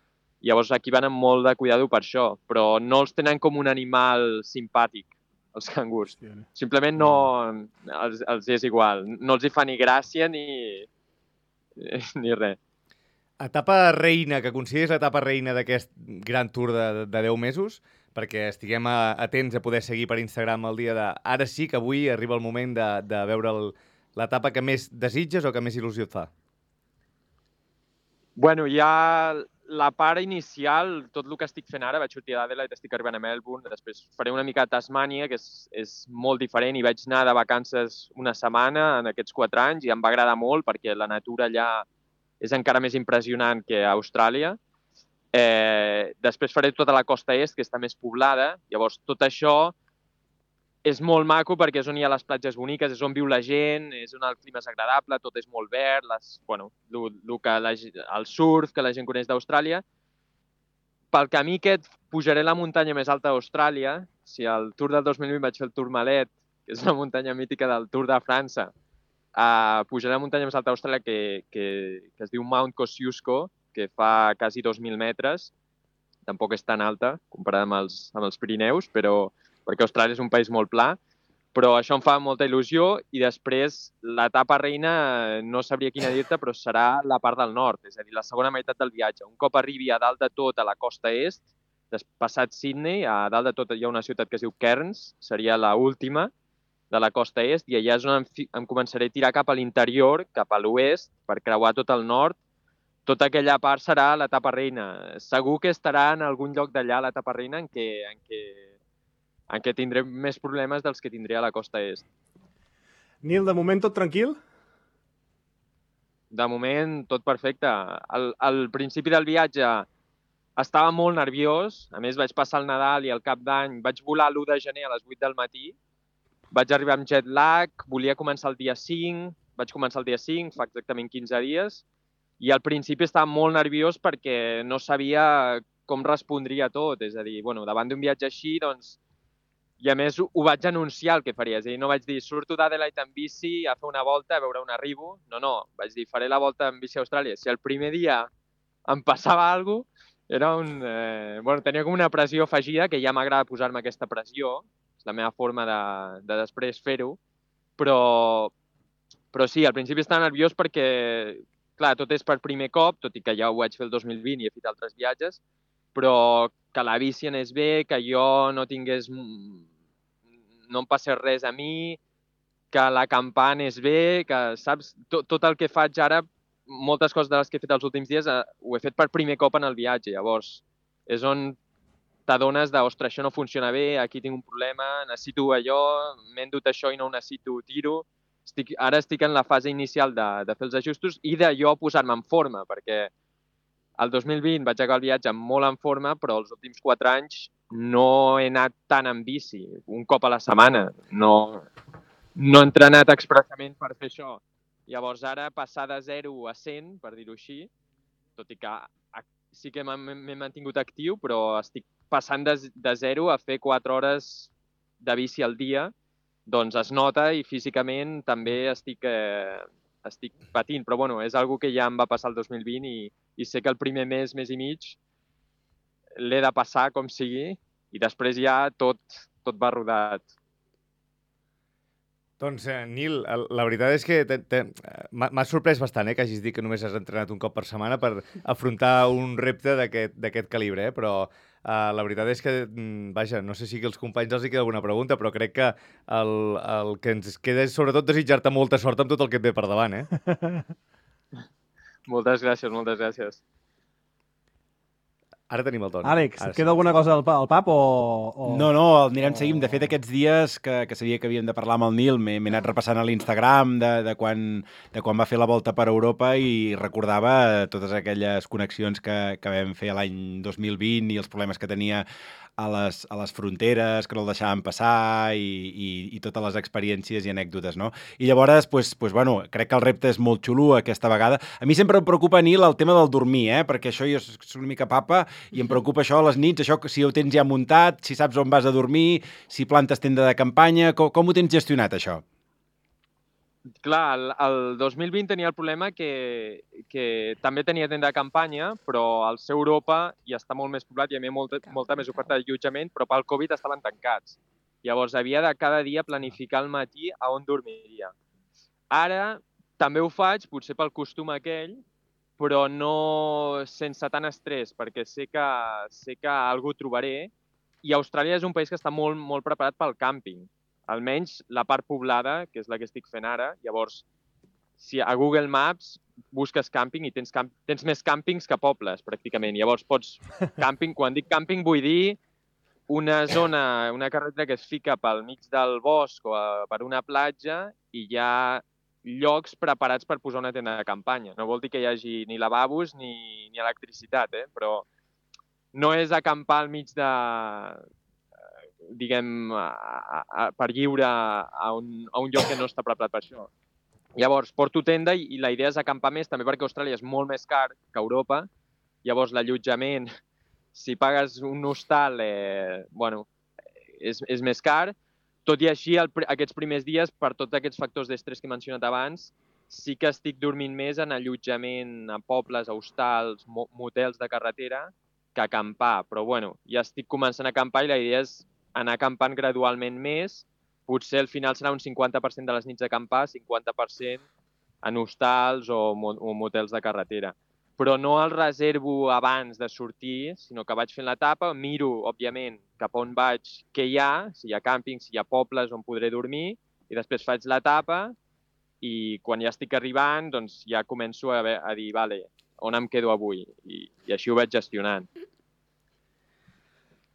Llavors aquí van amb molt de cuidado per això, però no els tenen com un animal simpàtic, els cangurs. Simplement no els és igual. No els hi fa ni gràcia ni res. Etapa reina, que consideres l'etapa reina d'aquest gran tour de 10 mesos, perquè estiguem atents a poder seguir per Instagram el dia de... Ara sí que avui arriba el moment de veure l'etapa que més desitges o que més il·lusió et fa. Bueno, ja la part inicial, tot el que estic fent ara, vaig sortir d'Adelaide, estic arribant a Melbourne, després faré una mica a Tasmània, que és molt diferent, i vaig anar de vacances una setmana en aquests 4 anys i em va agradar molt perquè la natura allà és encara més impressionant que a Austràlia. Després faré tota la costa est, que està més poblada. Llavors, tot això és molt maco perquè és on hi ha les platges boniques, és on viu la gent, és on el clima és agradable, tot és molt verd, el surf que la gent coneix d'Austràlia. Pel camí aquest pujaré la muntanya més alta d'Austràlia. Si al Tour del 2020 vaig fer el Tourmalet, que és una muntanya mítica del Tour de França, pujaré la muntanya més alta d'Austràlia que es diu Mount Kosciuszko, que fa quasi 2.000 metres. Tampoc és tan alta comparada amb els Pirineus, perquè Austràlia és un país molt pla, però això em fa molta il·lusió i després l'etapa reina no sabria quina dir-te, però serà la part del nord, és a dir, la segona meitat del viatge. Un cop arribi a dalt de tot a la costa est, passat Sydney, a dalt de tot hi ha una ciutat que es diu Cairns, seria l'última de la costa est, i allà és on em començaré a tirar cap a l'interior, cap a l'oest, per creuar tot el nord. Tota aquella part serà l'etapa reina. Segur que estarà en algun lloc d'allà l'etapa reina en què tindré més problemes dels que tindré a la costa est. Nil, de moment tot tranquil? De moment tot perfecte. Al principi del viatge estava molt nerviós. A més, vaig passar el Nadal i el Cap d'Any. Vaig volar l'1 de gener a les 8 del matí. Vaig arribar amb jet lag, volia començar el dia 5, vaig començar el dia 5, fa exactament 15 dies, i al principi estava molt nerviós perquè no sabia com respondria tot. És a dir, davant d'un viatge així, doncs, i a més ho vaig anunciar el que faria. És a dir, no vaig dir, surto d'Adelaide en bici a fer una volta, a veure on arribo. No, vaig dir, faré la volta en bici a Austràlia. Si el primer dia em passava alguna cosa, tenia com una pressió afegida, que ja m'agrada posar-me aquesta pressió, és la meva forma de després fer-ho, però sí, al principi estava nerviós perquè, clar, tot és per primer cop, tot i que ja ho vaig fer el 2020 i he fet altres viatges, però que la bici anés bé, que jo no em passés res a mi, que l'acampar anés bé, que, saps, tot el que faig ara, moltes coses de les que he fet els últims dies, ho he fet per primer cop en el viatge. Llavors, és on t'adones de, ostres, això no funciona bé, aquí tinc un problema, necessito allò, m'he endut això i no ho necessito, tiro. Ara estic en la fase inicial de fer els ajustos i de jo posar-me en forma, perquè el 2020 vaig acabar el viatge molt en forma, però els últims 4 anys no he anat tant en bici, un cop a la setmana. No he entrenat expressament per fer això. Llavors ara passar de 0 a 100, per dir-ho així, tot i que sí que m'he mantingut actiu, però estic passant de 0 a fer 4 hores de bici al dia, doncs es nota i físicament també estic patint. Però és algo que ja em va passar el 2020 i sé que el primer mes i mig l'he de passar com sigui i després ja tot va rodat. Doncs, Nil, la veritat és que m'ha sorprès bastant que hagis dit que només has entrenat un cop per setmana per afrontar un repte d'aquest calibre, però la veritat és que, vaja, no sé si els companys els hi queda alguna pregunta, però crec que el que ens queda és sobretot desitjar-te molta sort amb tot el que et ve per davant, Moltes gràcies, moltes gràcies. Ara tenim el Toni. Àlex, et queda alguna cosa al pap o... No, anirem seguint. De fet, aquests dies que sabia que havíem de parlar amb el Nil, m'he anat repassant a l'Instagram de quan va fer la volta per Europa i recordava totes aquelles connexions que vam fer l'any 2020 i els problemes que tenia a les fronteres, que no el deixaven passar i totes les experiències i anècdotes, no? I llavors, bueno, crec que el repte és molt xulo aquesta vegada. A mi sempre em preocupa, Nil, el tema del dormir, perquè això jo soc una mica papa i em preocupa això a les nits, això si ho tens ja muntat, si saps on vas a dormir, si plantes tenda de campanya, com ho tens gestionat, això? Clar, el 2020 tenia el problema que també tenia tenda de campanya, però al ser Europa ja està molt més poblat i hi havia molta més oferta d'allotjament, però pel Covid estaven tancats. Llavors havia de cada dia planificar al matí a on dormiria. Ara també ho faig, potser pel costum aquell, però no sense tant estrès, perquè sé que algú trobaré. I Austràlia és un país que està molt, molt preparat pel càmping. Almenys la part poblada, que és la que estic fent ara. Llavors, si a Google Maps busques càmping i tens més càmpings que pobles, pràcticament. Llavors pots càmping, quan dic càmping vull dir una zona, una carretera que es fica pel mig del bosc o per una platja i hi ha llocs preparats per posar una tenda de campanya. No vol dir que hi hagi ni lavabos ni electricitat, però no és acampar al mig de, diguem, per lliure a un lloc que no està preparat per això. Llavors, porto tenda i la idea és acampar més, també perquè Austràlia és molt més car que Europa. Llavors, l'allotjament, si pagues un hostal, és més car. Tot i així, aquests primers dies, per tots aquests factors d'estrès que he mencionat abans, sí que estic dormint més en allotjament a pobles, a hostals, motels de carretera, que acampar. Però, ja estic començant a acampar i la idea és anar acampant gradualment més. Potser al final serà un 50% de les nits d'acampar, 50% en hostals o motels de carretera. Però no el reservo abans de sortir, sinó que vaig fent l'etapa, miro, òbviament, cap on vaig, què hi ha, si hi ha càmpings, si hi ha pobles on podré dormir, i després faig l'etapa i quan ja estic arribant, doncs ja començo a dir, vale, on em quedo avui? I així ho vaig gestionant.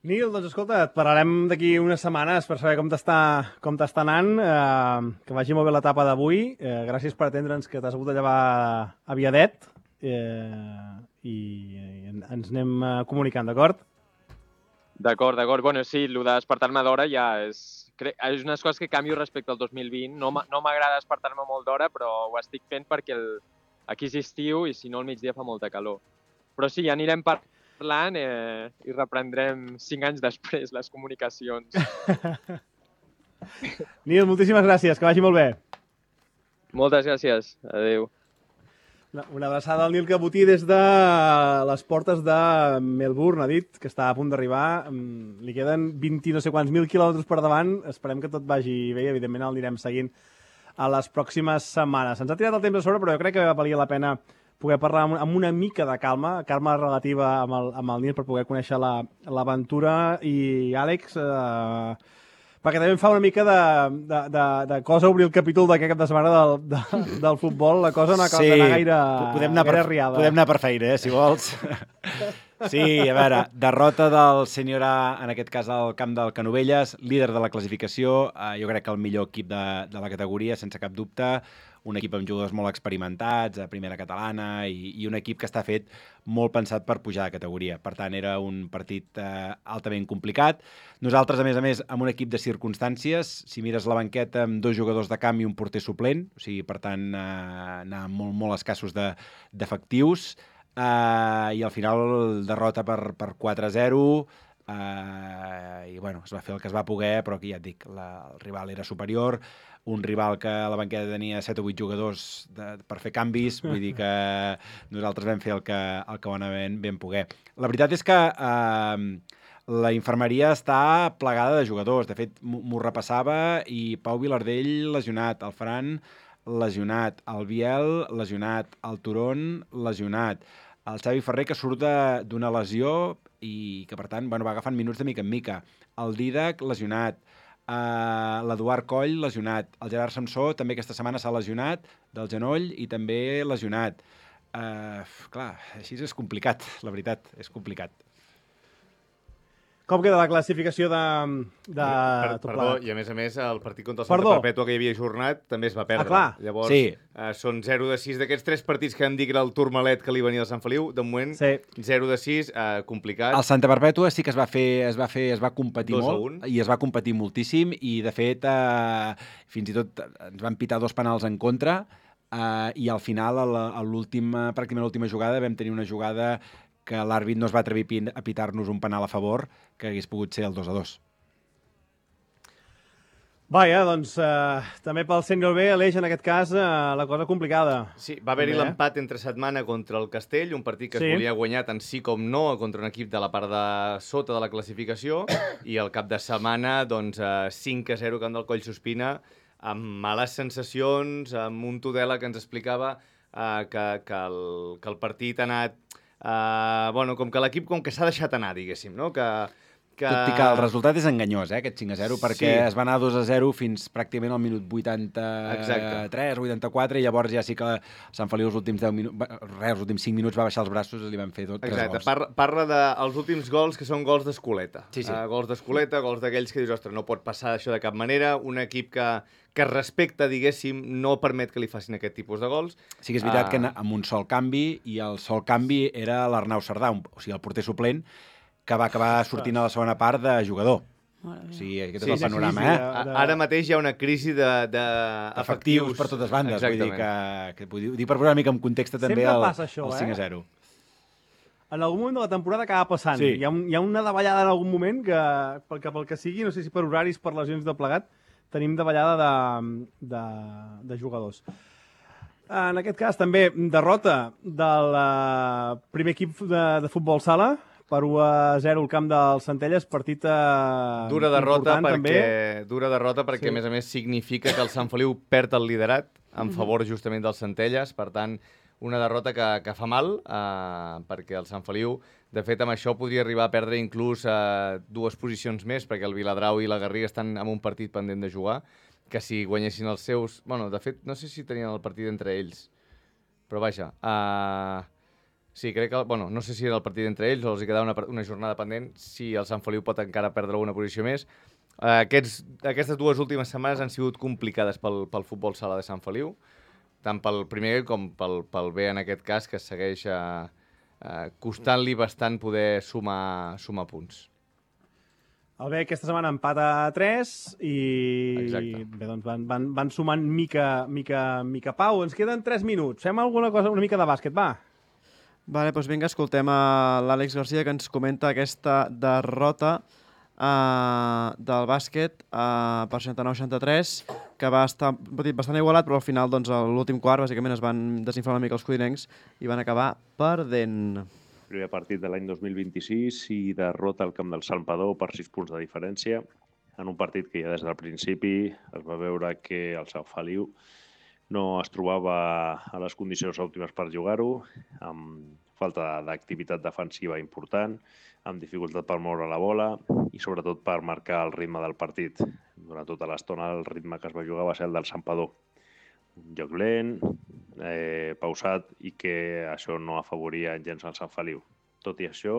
Nil, doncs escolta, et parlarem d'aquí unes setmanes per saber com t'està anant, que vagi molt bé l'etapa d'avui. Gràcies per atendre'ns, que t'has hagut de llevar aviadet i ens anem comunicant, d'acord? D'acord. Bueno, sí, el de despertar-me d'hora ja és unes coses que canvio respecte al 2020. No m'agrada despertar-me molt d'hora, però ho estic fent perquè aquí és estiu i si no al migdia fa molta calor. Però sí, ja anirem parlant i reprendrem 5 anys després les comunicacions. Nil, moltíssimes gràcies, que vagi molt bé. Moltes gràcies, adéu. Una abraçada al Nil Cabotí des de les portes de Melbourne, ha dit que està a punt d'arribar. Li queden 20 no sé quants mil quilòmetres per davant. Esperem que tot vagi bé i evidentment el anirem seguint a les pròximes setmanes. Ens ha tirat el temps a sobre, però jo crec que valia la pena poder parlar amb una mica de calma relativa amb el Nil per poder conèixer l'aventura. I Àlex, perquè també em fa una mica de cosa obrir el capítol d'aquest cap de setmana del futbol, la cosa no acaba d'anar gaire riada. Podem anar per feina, si vols. Sí, a veure, derrota del Sènior A, en aquest cas al camp del Canovelles, líder de la classificació, jo crec que el millor equip de la categoria, sense cap dubte, un equip amb jugadors molt experimentats, a primera catalana, i un equip que està fet molt pensat per pujar de categoria. Per tant, era un partit altament complicat. Nosaltres, a més, amb un equip de circumstàncies, si mires la banqueta amb 2 jugadors de camp i un porter suplent, o sigui, per tant, anar molt, molt escassos d'efectius, i al final derrota per 4-0, i bueno, es va fer el que es va poder, però aquí ja et dic, el rival era superior, un rival que a la banqueta tenia 7 o 8 jugadors per fer canvis, vull dir que nosaltres vam fer el que vam poder. La veritat és que la infermeria està plegada de jugadors, de fet m'ho repassava, i Pau Vilardell lesionat, el Fran lesionat, el Biel lesionat, el Turon lesionat, el Xavi Ferrer que surt d'una lesió i que per tant va agafant minuts de mica en mica, el Didac lesionat, l'Eduard Coll lesionat, el Gerard Samsó també aquesta setmana s'ha lesionat del genoll i també lesionat. Clar, així és complicat, la veritat, és complicat. Com queda la classificació de tot Perdó, plegat? i a més, el partit contra el Santa Perdó. Perpètua que hi havia ajornat també es va perdre. clar. Llavors, Sí. són 0 de 6 d'aquests 3 partits que vam dir que era el Tourmalet que li venia al Sant Feliu. De moment, 0 de 6, complicat. El Santa Perpètua sí que es va competir 2-1. molt i es va competir moltíssim i, de fet, fins i tot ens van pitar 2 penals en contra i al final, pràcticament a l'última jugada, vam tenir una jugada que l'àrbit no es va atrevir a pitar-nos un penal a favor, que hagués pogut ser el 2-2. Vaja, doncs també pel Sènior B, Aleix, en aquest cas, la cosa complicada. Sí, va haver-hi També, l'empat entre setmana contra el Castell, un partit que Sí. es volia guanyar tant sí com no contra un equip de la part de sota de la classificació, i el cap de setmana, doncs, 5-0 camp del Coll Sospina, amb males sensacions, amb un Tudela que ens explicava que el partit ha anat... com que l'equip s'ha deixat anar, diguéssim, no? Tot i que el resultat és enganyós, aquest 5-0, perquè Sí. es va anar 2-0 fins pràcticament al minut 83, 84, i llavors ja sí que Sant Feliu els últims 5 minuts va baixar els braços i li van fer 3 Exacte, gols. parla dels últims gols que són gols d'escoleta. Sí. Gols d'escoleta, gols d'aquells que dius, ostres, no pot passar això de cap manera. Un equip que respecta, diguéssim, no permet que li facin aquest tipus de gols. Sí que és veritat que amb un sol canvi, i el sol canvi era l'Arnau Cerdà, o sigui, el porter suplent, que va acabar sortint a la segona part de jugador. O sigui, aquest és el panorama, Ara mateix hi ha una crisi d'efectius per totes bandes. Vull dir que ho dic per posar una mica en context també Sempre passa això, 5-0. En algun moment de la temporada acaba passant. Sí. Hi ha una davallada en algun moment que, pel que sigui, no sé si per horaris, per lesions de plegat, tenim davallada de jugadors. En aquest cas, també, derrota del primer equip de futbol sala, per 1-0 al camp del Centelles, partit Dura derrota perquè, Sí. a més, significa que el Sant Feliu perd el liderat en favor justament del Centelles. Per tant, una derrota que fa mal, perquè el Sant Feliu, de fet, amb això podria arribar a perdre inclús 2 posicions més, perquè el Viladrau i la Garriga estan en un partit pendent de jugar, que si guanyessin els seus... Bueno, de fet, no sé si tenien el partit entre ells, però vaja... Sí, crec que... Bueno, no sé si era el partit entre ells o els hi quedava una jornada pendent, si el Sant Feliu pot encara perdre alguna posició més. Aquestes 2 últimes setmanes han sigut complicades pel futbol sala de Sant Feliu, tant pel primer com pel B, en aquest cas, que segueix costant-li bastant poder sumar punts. El B aquesta setmana empata a 3 i bé, doncs van sumant mica Pau. Ens queden 3 minuts. Fem alguna cosa, una mica de bàsquet, va. Vale, doncs vinga, escoltem a l'Àlex Garcia, que ens comenta aquesta derrota del bàsquet per 69-63, que va estar bastant igualat, però al final, doncs, a l'últim quart, bàsicament, es van desinflar una mica els codinencs i van acabar perdent. Primer partit de l'any 2026 i derrota al camp del Santpedor per 6 punts de diferència, en un partit que ja des del principi es va veure que el Sant Feliu no es trobava a les condicions òptimes per jugar-ho, amb falta d'activitat defensiva important, amb dificultat per moure la bola i sobretot per marcar el ritme del partit. Durant tota l'estona el ritme que es va jugar va ser el del Santpedor. Un joc lent, pausat, i que això no afavoria gens el Sant Feliu. Tot i això,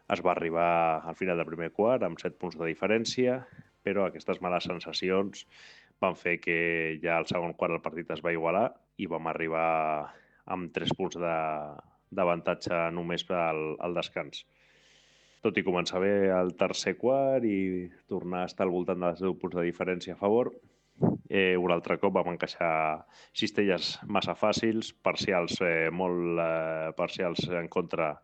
es va arribar al final del primer quart amb 7 punts de diferència, però aquestes males sensacions van fer que ja al segon quart el partit es va igualar i vam arribar amb 3 punts d'avantatge només al descans. Tot i començar bé el tercer quart i tornar a estar al voltant dels 10 punts de diferència a favor, un altre cop vam encaixar cistelles massa fàcils, parcials molt parcials en contra,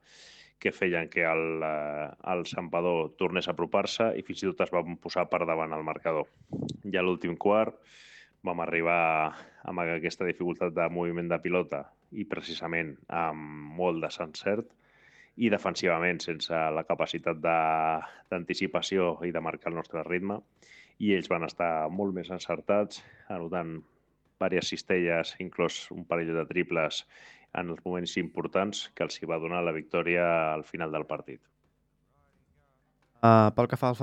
que feien que el Santpedor tornés a apropar-se i fins i tot es van posar per davant el marcador. Ja a l'últim quart vam arribar amb aquesta dificultat de moviment de pilota i precisament amb molt desencert i defensivament sense la capacitat d'anticipació i de marcar el nostre ritme, i ells van estar molt més encertats, anotant diverses cistelles, inclòs un parell de triples en els moments importants que els hi va donar la victòria al final del partit. Pel que fa al